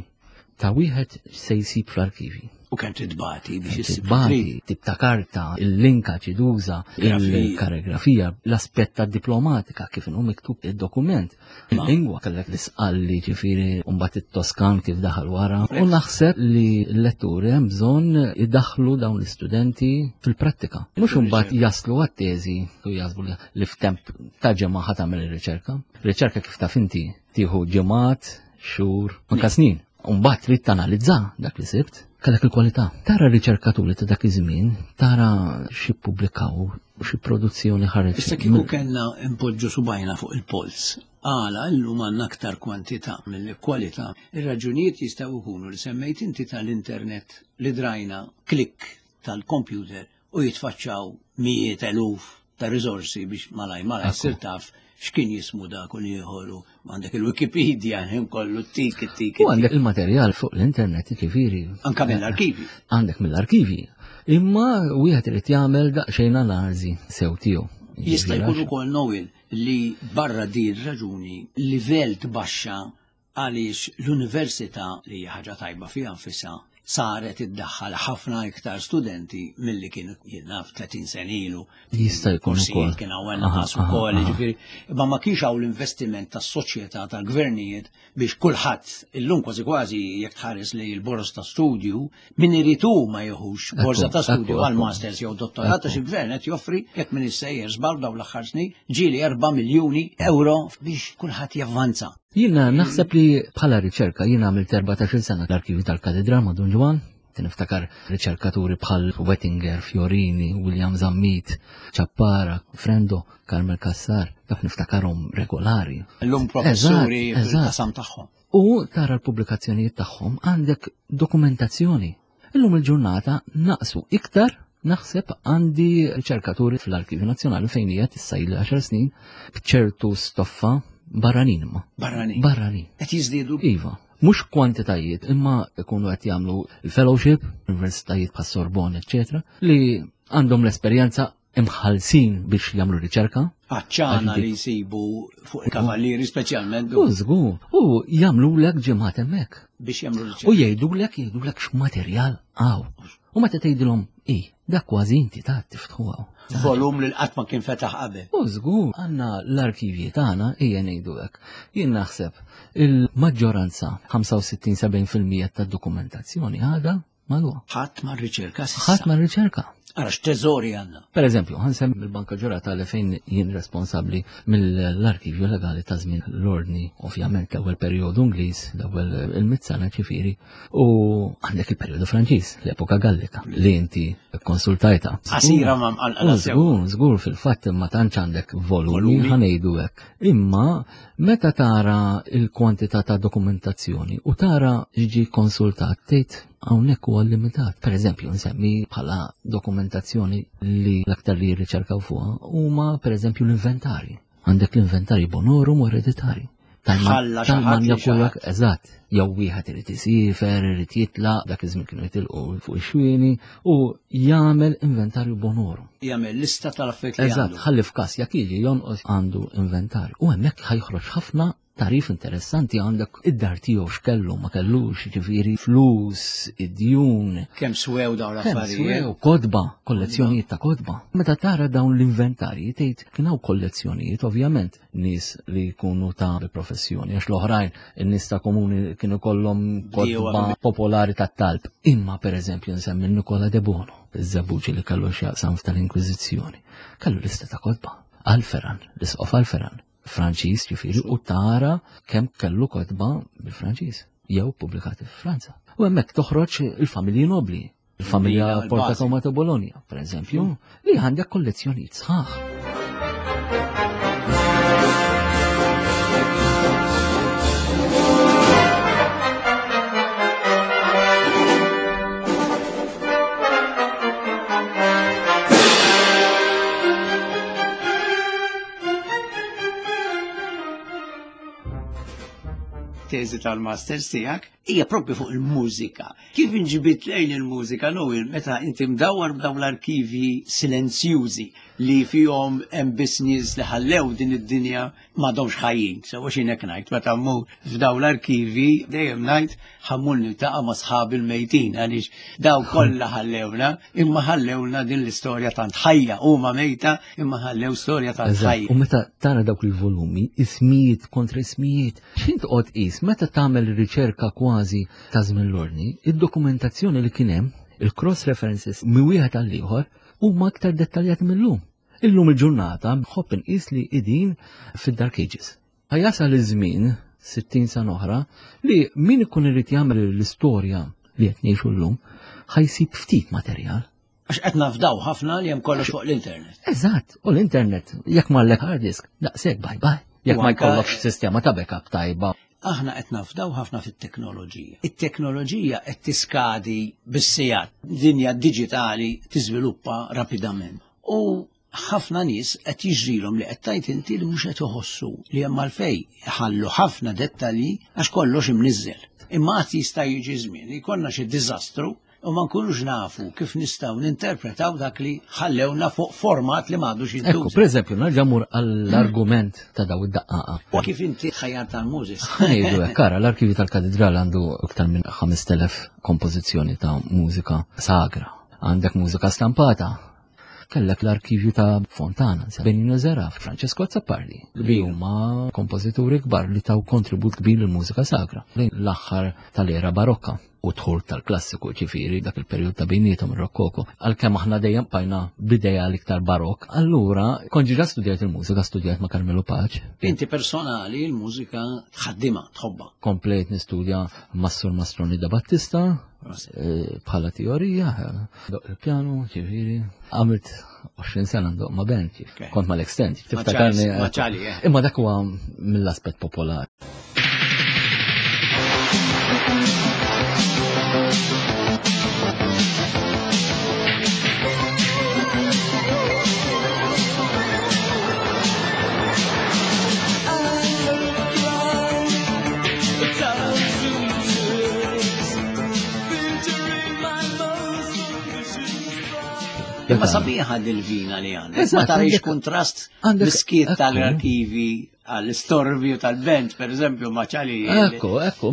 ta' wieħed se jsib fl-arkivi.
U kemm titbati biex issib.
Titbati, tip ta' karta, il-linka ċiduża, il-karigrafija, l-aspett ta' diplomatika kif inhu miktub id-dokument. Il-lingwa kellek l-isqalli ġifieri u mbagħad it-Toskan kif daħal wara. U naħseb li l-letturi hemm bżonn idaħħlu dawn l-istudenti fil-prattika. Mhux imbagħad jaslu għat-teżi u jaħsbu li f'temp ta' ġimgħa ħa tagħmel ir-riċerka. Riċerka kif taf inti tieħu ġimgħat, xhur, anka snin. U mbagħad trid tanalizza dak li sibt, kellek il-kwalità. Tara riċerkaturi ta' dak iż-żmien, tara xi ppubblikaw u xi produzzjoni ħareġ.
Issa kieku kellna npoġġu subajna fuq il-polz, għala llum għandna aktar kwantità milli kwalità. Ir-raġunijiet jistgħu jkunu li semmejt inti tal-internet li drajna klikk tal-kompjuter u jitfaċċaw mijiet eluf ta' riżorsi biex malaj malaj ssir taf x'kien jismu dak u l-ieħor u għandek il-Wikipedia ħin kollu tik tik.
U għandek il-materjal fuq l-internet ġifieri.
Anka mill-arkivi.
Għandek mill-arkivi. Imma wieħed irid jagħmel daqsxejn analiżi sew tiegħu.
Jista' jkun ukoll Noel li barra din raġuni livell tbaxxa għaliex l-università li hija ħaġa tajba fiha nfisha saret iddaħħal ħafna iktar studenti milli kien jien naf 30 sena ilu.
Jista' jkun ukoll.
Kien hawn inqas ukoll, jiġifieri, imma ma kienx hawn l-investiment tas-soċjetà tal-gvernijiet biex kulħadd illum kważi kważi jekk tħares li l-boroż ta' studju min irid hu ma jieħux borża ta' studju għal masters jew dottorat għax il-gvern qed joffri jekk min issejjer żball dawn l-aħħar snin ġieli 4 miljuni euro biex kulħadd javvanza.
Jiena naħseb li bħala riċerka jiena għamilt 14-il sena l-arkivju tal-Katedral ma' Dun Ġwann, niftakar riċerkaturi bħal Wettinger, Fiorini, William Zammit, Ċappara, Frendo, Carmel Cassar, dak niftakarhom regolari.
Illum professuri fil-qasam tagħhom.
U tara l-pubblikazzjonijiet tagħhom għandek dokumentazzjoni. Illum il-ġurnata naqsu iktar naħseb għandi riċerkaturi fl-Arkivju Nazzjonali fejn hija issa ili 10 snin b'ċertu stoffa barranin imma.
Barranin.
Barranin.
Qed jiżdiedu?
Iva. Mhux kwantitajiet, imma jkunu qed jagħmlu il-fellowship, universitajiet bħas Sorbonne, eċċetera, li għandhom l-esperjenza imħallsin biex jagħmlu riċerka.
Għaċċana li jsibu fuq il-kavallieri speċjalment.
U żgur, u jagħmlulek ġimgħat hemmhekk.
Biex jagħmlu riċerka.
U jgħidulek jgħidulek x'materjal hawn. U meta tgħidilhom i, dak kważi inti ta' tiftħu hawn.
Volum li qatt ma kien fetaħ qabel.
U żgur, għandna l-arkivji tagħna ejja ngħidu hekk. Jien naħseb il-maġġoranza 65-70% tad-dokumentazzjoni għadha magħluqa.
Ħadd ma rriċerka s'issa.
Ħadd ma rriċerka.
Ara x'teżori għandna.
Per eżempju, ħansem il-Banka Ġuratali fejn jien responsabbli mill-arkivju legali ta' żmien l-ordni, ovvjament l-ewwel perjodu Ingliż, l-ewwel il-mitt sena ġifieri, u għandek il-perjodu Franċiż, l-epoka Gallika, li inti konsultajta.
Qasira ma mqanqla
sew. Żgur, żgur fil-fatt ma tantx għandek volumi ħanejdu hekk. Imma meta tara il-kwantità ta' dokumentazzjoni u tara x'ġie konsultat tgħid. Hawnhekk huwa limitat. Per eżempju, nsemmi bħala dokumentazzjoni li l-aktar li jirriċerkaw fuqha huma per eżempju l-inventarji. Għandek l-inventarji bonorum u ereditari. Tal-manja kollok, eżatt, jew wieħed irid isifer, irid jitlaq, dak iż-żmien kienu jitilqu fuq ix-xwieni u jagħmel inventarju bonorum.
Jagħmel lista tal-affarijiet li
Eżatt, ħalli f'każ jekk jiġi jonqos għandu inventarju. U hemmhekk ħajħroġ ħafna Tarif interessanti għandek id-dar tiegħu x'kellu ma kellux, ġifieri flus, id-djun.
Kemm swew dawn l-affarijiet.
Swew kodba, kollezzjonijiet ta' kodba. Meta tara dawn l-inventarji tgħid kien hawn kollezzjonijiet ovvjament nies li jkunu ta' professjoni għax l-oħrajn in-nies ta' komuni kienu kollhom kodba popolari tat-talb. Imma pereżempju nsemmi Nikola De Bono, iż-żebbuġi li kellu x'jaqsam f'tal-Inkwiżizzjoni. Kellu lista ta' kodba. Alferan, l-isqof Alferan, Franċiż ġifieri u tara kemm kellu kotba bil-Franċiż jew pubblikati f'Franza. U hemmhekk toħroġ il-familji nobli, il-familja Porta Tomato Bologna, per eżempju, li għandek kollezzjonijiet sħaħ.
Teżi tal-masters tiegħek hija propju fuq il-mużika. Kif inġibit lejn il-mużika Noel meta inti mdawwar b'dawn l-arkivji silenzjużi li fihom hemm biss nies li ħallew din id-dinja m'għadhomx ħajjin. Sewa xi hekk ngħid meta mmur f'dawn l-arkivi dejjem ngħid ħammur niltaqa' ma' sħabi l-mejtin għaliex daw kollha ħallewna imma ħallewna din l-istorja tant ħajja huma mejta imma ħallew storja tant ħajja.
U meta tara dawk il-volumi, ismijiet kontra ismijiet, x'int toqgħod qis meta tagħmel riċerka kważi ta' żmien l-ordni, id-dokumentazzjoni li kien hemm, il-cross references minn wieħed għal ieħor huma aktar dettaljati mill-lum. Illum il-ġurnata nħobb inqis li qegħdin fid-Dark Ages. Ħa jasal iż-żmien, 60 sena oħra, li min ikun irid jagħmel l-istorja li qed ngħixu llum, ħa jsib ftit materjal.
Għax qed nafdaw ħafna li hemm kollox fuq l-internet.
Eżatt, u l-internet, jekk m'għandek hard disk, daqshekk bye bye. Jekk ma jkollokx sistema ta' backup tajba.
Aħna qed nafdaw ħafna fit-teknoloġija. It-teknoloġija qed tiskadi bis-sigħat. Dinja diġitali tiżviluppa rapidament. U ħafna nies qed jiġrilhom li qed tgħid inti li mhux qed iħossu li hemm għalfejn iħallu ħafna dettalji għax kollox imniżżel. Imma qatt jista' jiġi żmien li jkollna xi diżastru u ma nkunux nafu kif nistgħu ninterpretaw dak li ħallewna fuq format li m'għadux jintuża.
Ekku, pereżempju, nerġa' mur għall-argument ta' daw id-daqqaqa.
U kif inti ħajjar tal-mużis?
Ngħidu hekk, ara l-arkivju tal-katedral għandu iktar minn 5000 kompożizzjoni ta' mużika sagra. Għandek mużika stampata, kellek l-arkivju ta' Fontana, Benino Zeraf, Francesco Azzopardi, li huma kompożituri kbar li taw kontribut kbir lill-mużika sagra lejn l-aħħar tal-era barokka u dħul tal-klassiku ġifieri dak il-perjod ta' bejniethom ir-rokkoko. Għalkemm aħna dejjem bqajna b'idea l-iktar barokk, allura kont ġiġa studjajt il-mużika, studjajt ma' Carmelo Pace.
Inti personali l-mużika tħaddimha, tħobbha.
Komplejt nistudja mas-Sur Mastroni da Battista, bħala teorija, doq il-pjanu, ġifieri, għamilt 20 sena ndoq ma' band, kont mal-extend,
tiftakarni.
Imma dak huwa mill-aspett popolari.
Imma sabiħa dil-vina li għandek. Ma tarix kontrast miskiet tal-arkivi għall-istorbju tal-bent, per eżempju, ma ċali.
Ekku, ekku,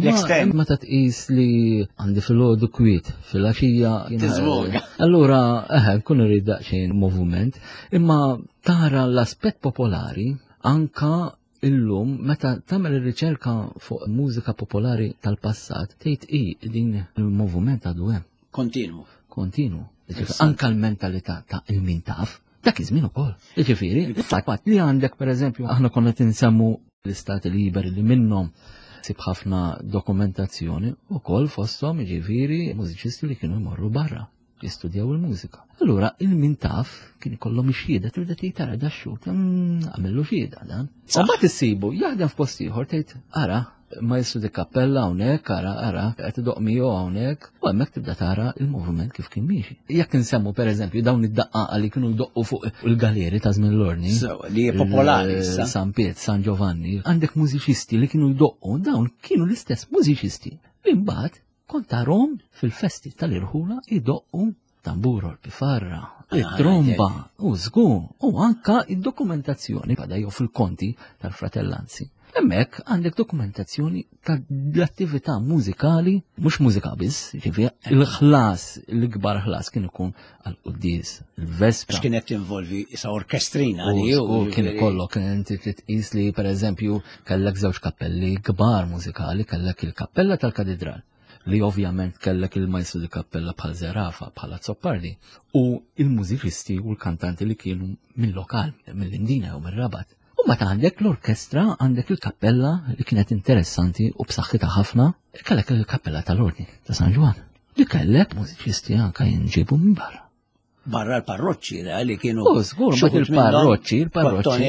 ma ta' tqis li għandi fil-ħodu kwiet, fil-għaxija.
Tiżvoga.
Allura, eħe, nkun irrid daqsxejn moviment, imma tara l-aspett popolari anka Illum meta tagħmel ir-riċerka fuq mużika popolari tal-passat tgħid i din il-moviment għadu hemm.
Kontinwu.
Kontinwu. Anka l-mentalità ta' il-min taf, dak iż-żmien ukoll. Jiġifieri, il-fatt li għandek pereżempju aħna konna tinsemmu l-istati liberi li minnhom sib ħafna dokumentazzjoni ukoll fosthom jiġifieri mużiċisti li kienu jmorru barra. jistudjaw il-mużika. Allura il-min taf kien ikollhom ix-xhieda tibda tgħid tara da xhud, mm, għamillu xhieda dan. U mbagħad issibu jaħdem f'post ieħor tgħid ara Maestro di Cappella hawnhekk, ara, ara, qed idoqq miegħu hawnhekk, u hemmhekk tibda tara il-moviment kif kien miexi. Jekk insemmu pereżempju dawn id-daqqaqa li kienu jdoqqu fuq il-galeri ta' żmien l-ordni.
Li popolari issa.
San Piet, San Giovanni, għandek mużiċisti li kienu jdoqqu, dawn kienu l-istess mużiċisti li mbagħad kont tarhom fil-festi tal-irħula jdoqqu tamburo, l-pifarra, ah, it-tromba, u żgur, u anka id-dokumentazzjoni bada jew fil-konti tal-fratellanzi. Hemmhekk għandek dokumentazzjoni tal-attività mużikali, mhux mużika biss, ġifieri il-ħlas, l-ikbar ħlas kien ikun għal-quddies, il-vespra.
X'kienet tinvolvi isa orkestrina
li u kien ikollok inti trid tqis li pereżempju kellek żewġ kappelli kbar mużikali, kellek il-kappella tal-katedral li ovvjament kellek il-majstru di kappella bħal Zerafa, bħal Azzopardi, u il-mużiċisti u l-kantanti li kienu mill-lokal, mill-Indina jew mill-Rabat. U meta għandek l-orkestra, għandek il-kappella li kienet interessanti u b'saħħitha ħafna, kellek il-kappella tal-Ordni ta' San Ġwann, li kellek mużiċisti anka jinġibu minn barra.
Barra l-parroċċi li kienu.
U żgur, ma il-parroċċi, il-parroċċi.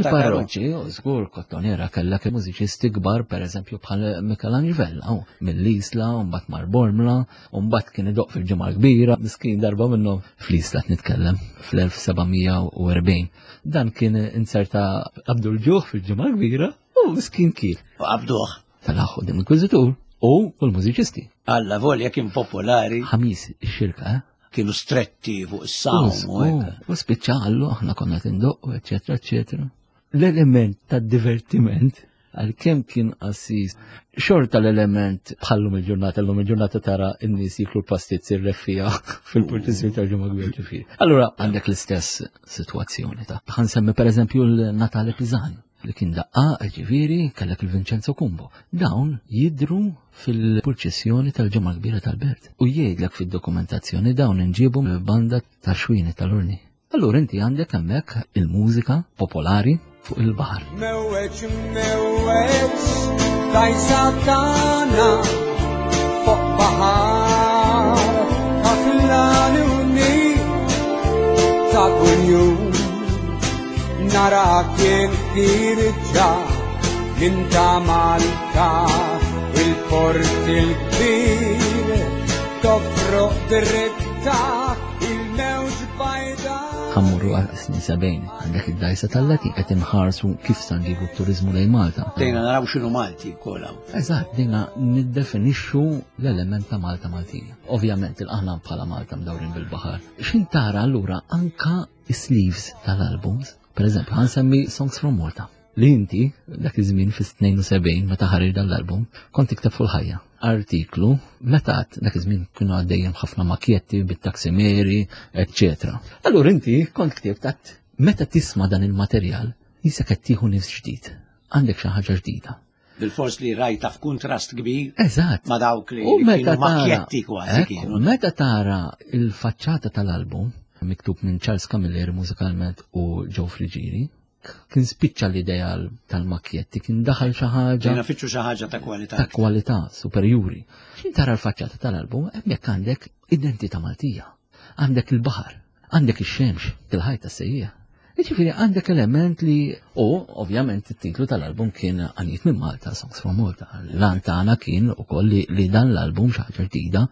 Il-parroċċi, u żgur, Kottonera kellek mużiċisti kbar, pereżempju bħal Michelangelo Vella, mill-Isla, u mbagħad mar Bormla, u mbagħad kien idoq fil-ġimgħa kbira, miskin darba minnhom fl-Isla nitkellem fl-1740. Dan kien inserta qabdu l-ġuħ fil-ġimgħa kbira u miskin kien.
U qabduh.
Tal-aħħu din inkwiżitur u l-mużiċisti.
Alla volja kien popolari.
Ħamis ix-xirka, eh?
Kienu stretti fuq is-sawm.
U spiċċa għallu aħna konna tindoqqu, eċetera, eċetera. L-element ta' divertiment għalkemm kien qassis, xorta l-element bħallum il-ġurnata, l-lum il-ġurnata tara n-nies jiklu l-pastizzi r-reffija fil-purtizzju tal-ġimgħa kbir ġifieri. Allura għandek l-istess sitwazzjoni ta' ħansemmi pereżempju l-Natale Pisani li kien daqqa ġifieri kellek il-Vincenzo Cumbo. Dawn jidru fil-purċissjoni tal-ġimgħa kbira tal-Belt u jgħidlek fid-dokumentazzjoni dawn inġibu mill-banda ta' xwini tal-Urni. Allura inti għandek hemmhekk il-mużika popolari fuq il-baħar.
Mewweġ mewweġ dajsa tagħna fuq baħar ta' ta' kuljum narak jien ħirġa minn ta' Malta il-port il-kbir tofroq dritta il-mewġ bajda.
Ħammurru għal snin 70, għandek id-dajsa tal-lati qed inħarsu kif sa nġibu t-turizmu lejn Malta.
Dejna naraw x'inhu Malti wkoll hawn.
Eżatt, dejna niddefinixxu l-element ta' Malta Maltija. Ovvjament il-aħna bħala Malta mdawrin bil-baħar. X'in tara allura anka is-sleeves tal-albums, per eżempju, ħansemmi Songs from Malta. Li inti, dak iż-żmien fis-72 meta ħareġ dan l-album, kont tikteb fuq il-ħajja. Artiklu, meta dak iż-żmien kienu għaddejjem ħafna makjetti bit-taksimeri, eċċetera. Allura inti kont ktibt għat meta tisma' dan il-materjal, jisek qed tieħu nifs ġdid. Għandek xi ħaġa ġdida.
Bil-fors li rajta f'kuntrast kbir.
Eżatt.
Ma dawk li kienu makjetti kważi kienu.
Meta tara il-faċċata tal-album, miktub minn Charles Camilleri mużikalment u Joe Friggieri, kien spiċċa l-idea tal-makjetti, kien daħal xi ħaġa.
Kien fittxu xi ħaġa ta' kwalità.
Ta' kwalità superjuri. X'in tara l-faċċata tal-album, hemmhekk għandek identità Maltija. Għandek il-baħar, għandek ix-xemx, il-ħajta sejja. Jiġifieri għandek element li u ovvjament it-titlu tal-album kien Għanijiet minn Malta, Songs from Malta. L-għan tagħna kien ukoll li, li dan l-album xi ħaġa ġdida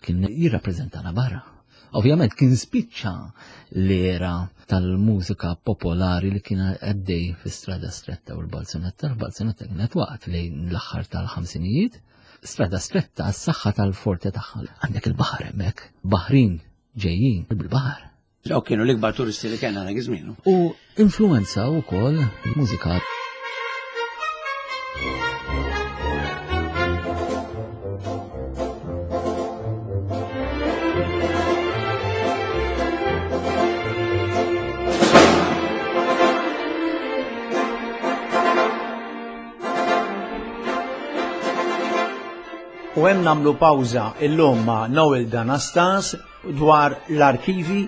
kien jirrappreżentana barra. Ovvjament kien spiċċa l-era tal-mużika popolari li kien għaddej fi strada stretta u l-balzunetta, l-balzunetta kienet waqt lejn l-aħħar tal-ħamsinijiet. Strada stretta għas-saħħa tal-forte tagħha. Għandek il-baħar hemmhekk, baħrin ġejjin bil-baħar.
Dawk kienu l-ikbar turisti li kellna dak iż-żmien.
U influenzaw ukoll il-mużika.
U hemm nagħmlu pawża illum ma' Noel Danastas dwar l-arkivi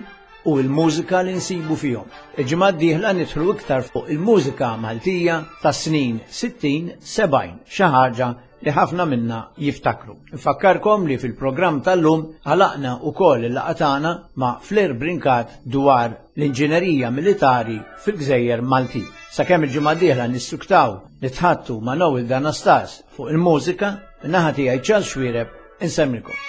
u l-mużika li nsibu fihom. Il-ġimgħa d-dieħla nidħlu iktar fuq il-mużika Maltija tas-snin 60, 70, xi ħaġa li ħafna minna jiftakru. Nfakkarkom li fil-programm tal-lum għalaqna ukoll il-laqgħa tagħna ma' Flair Brincat dwar l-inġinerija militari fil-Gżejjer Maltin. Sakemm il-ġimgħa d-dieħla nissuktaw nitħattu ma' Noel Danastas fuq il-mużika, min-naħa tiegħi Charles Xuereb insemmilkom.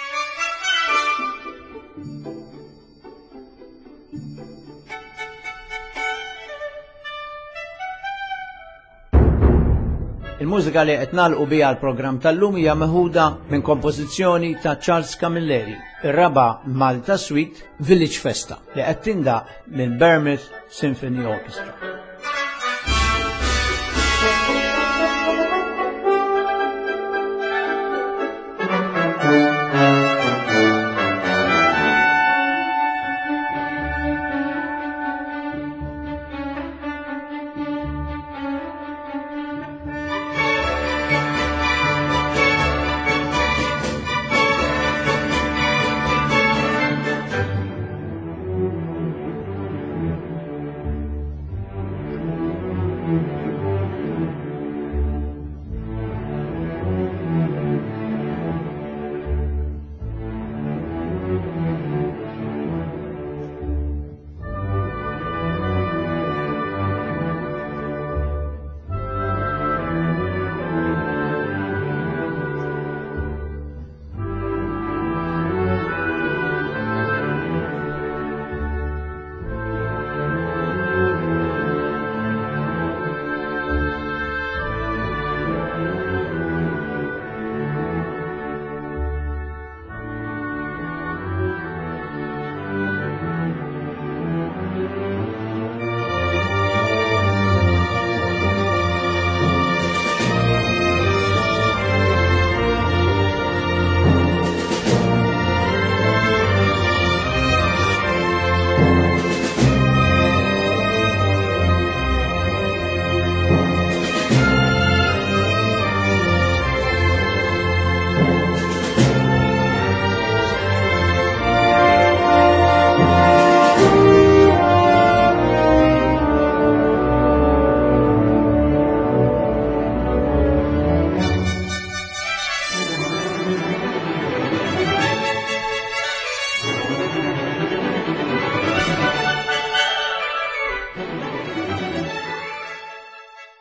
Il-mużika li qed nagħlqu biha l-programm tal-lum hija meħuda minn kompożizzjoni ta' Charles Camilleri, ir-raba' Malta Suite Village Festa li qed tindaq minn Bournemouth Symphony Orchestra.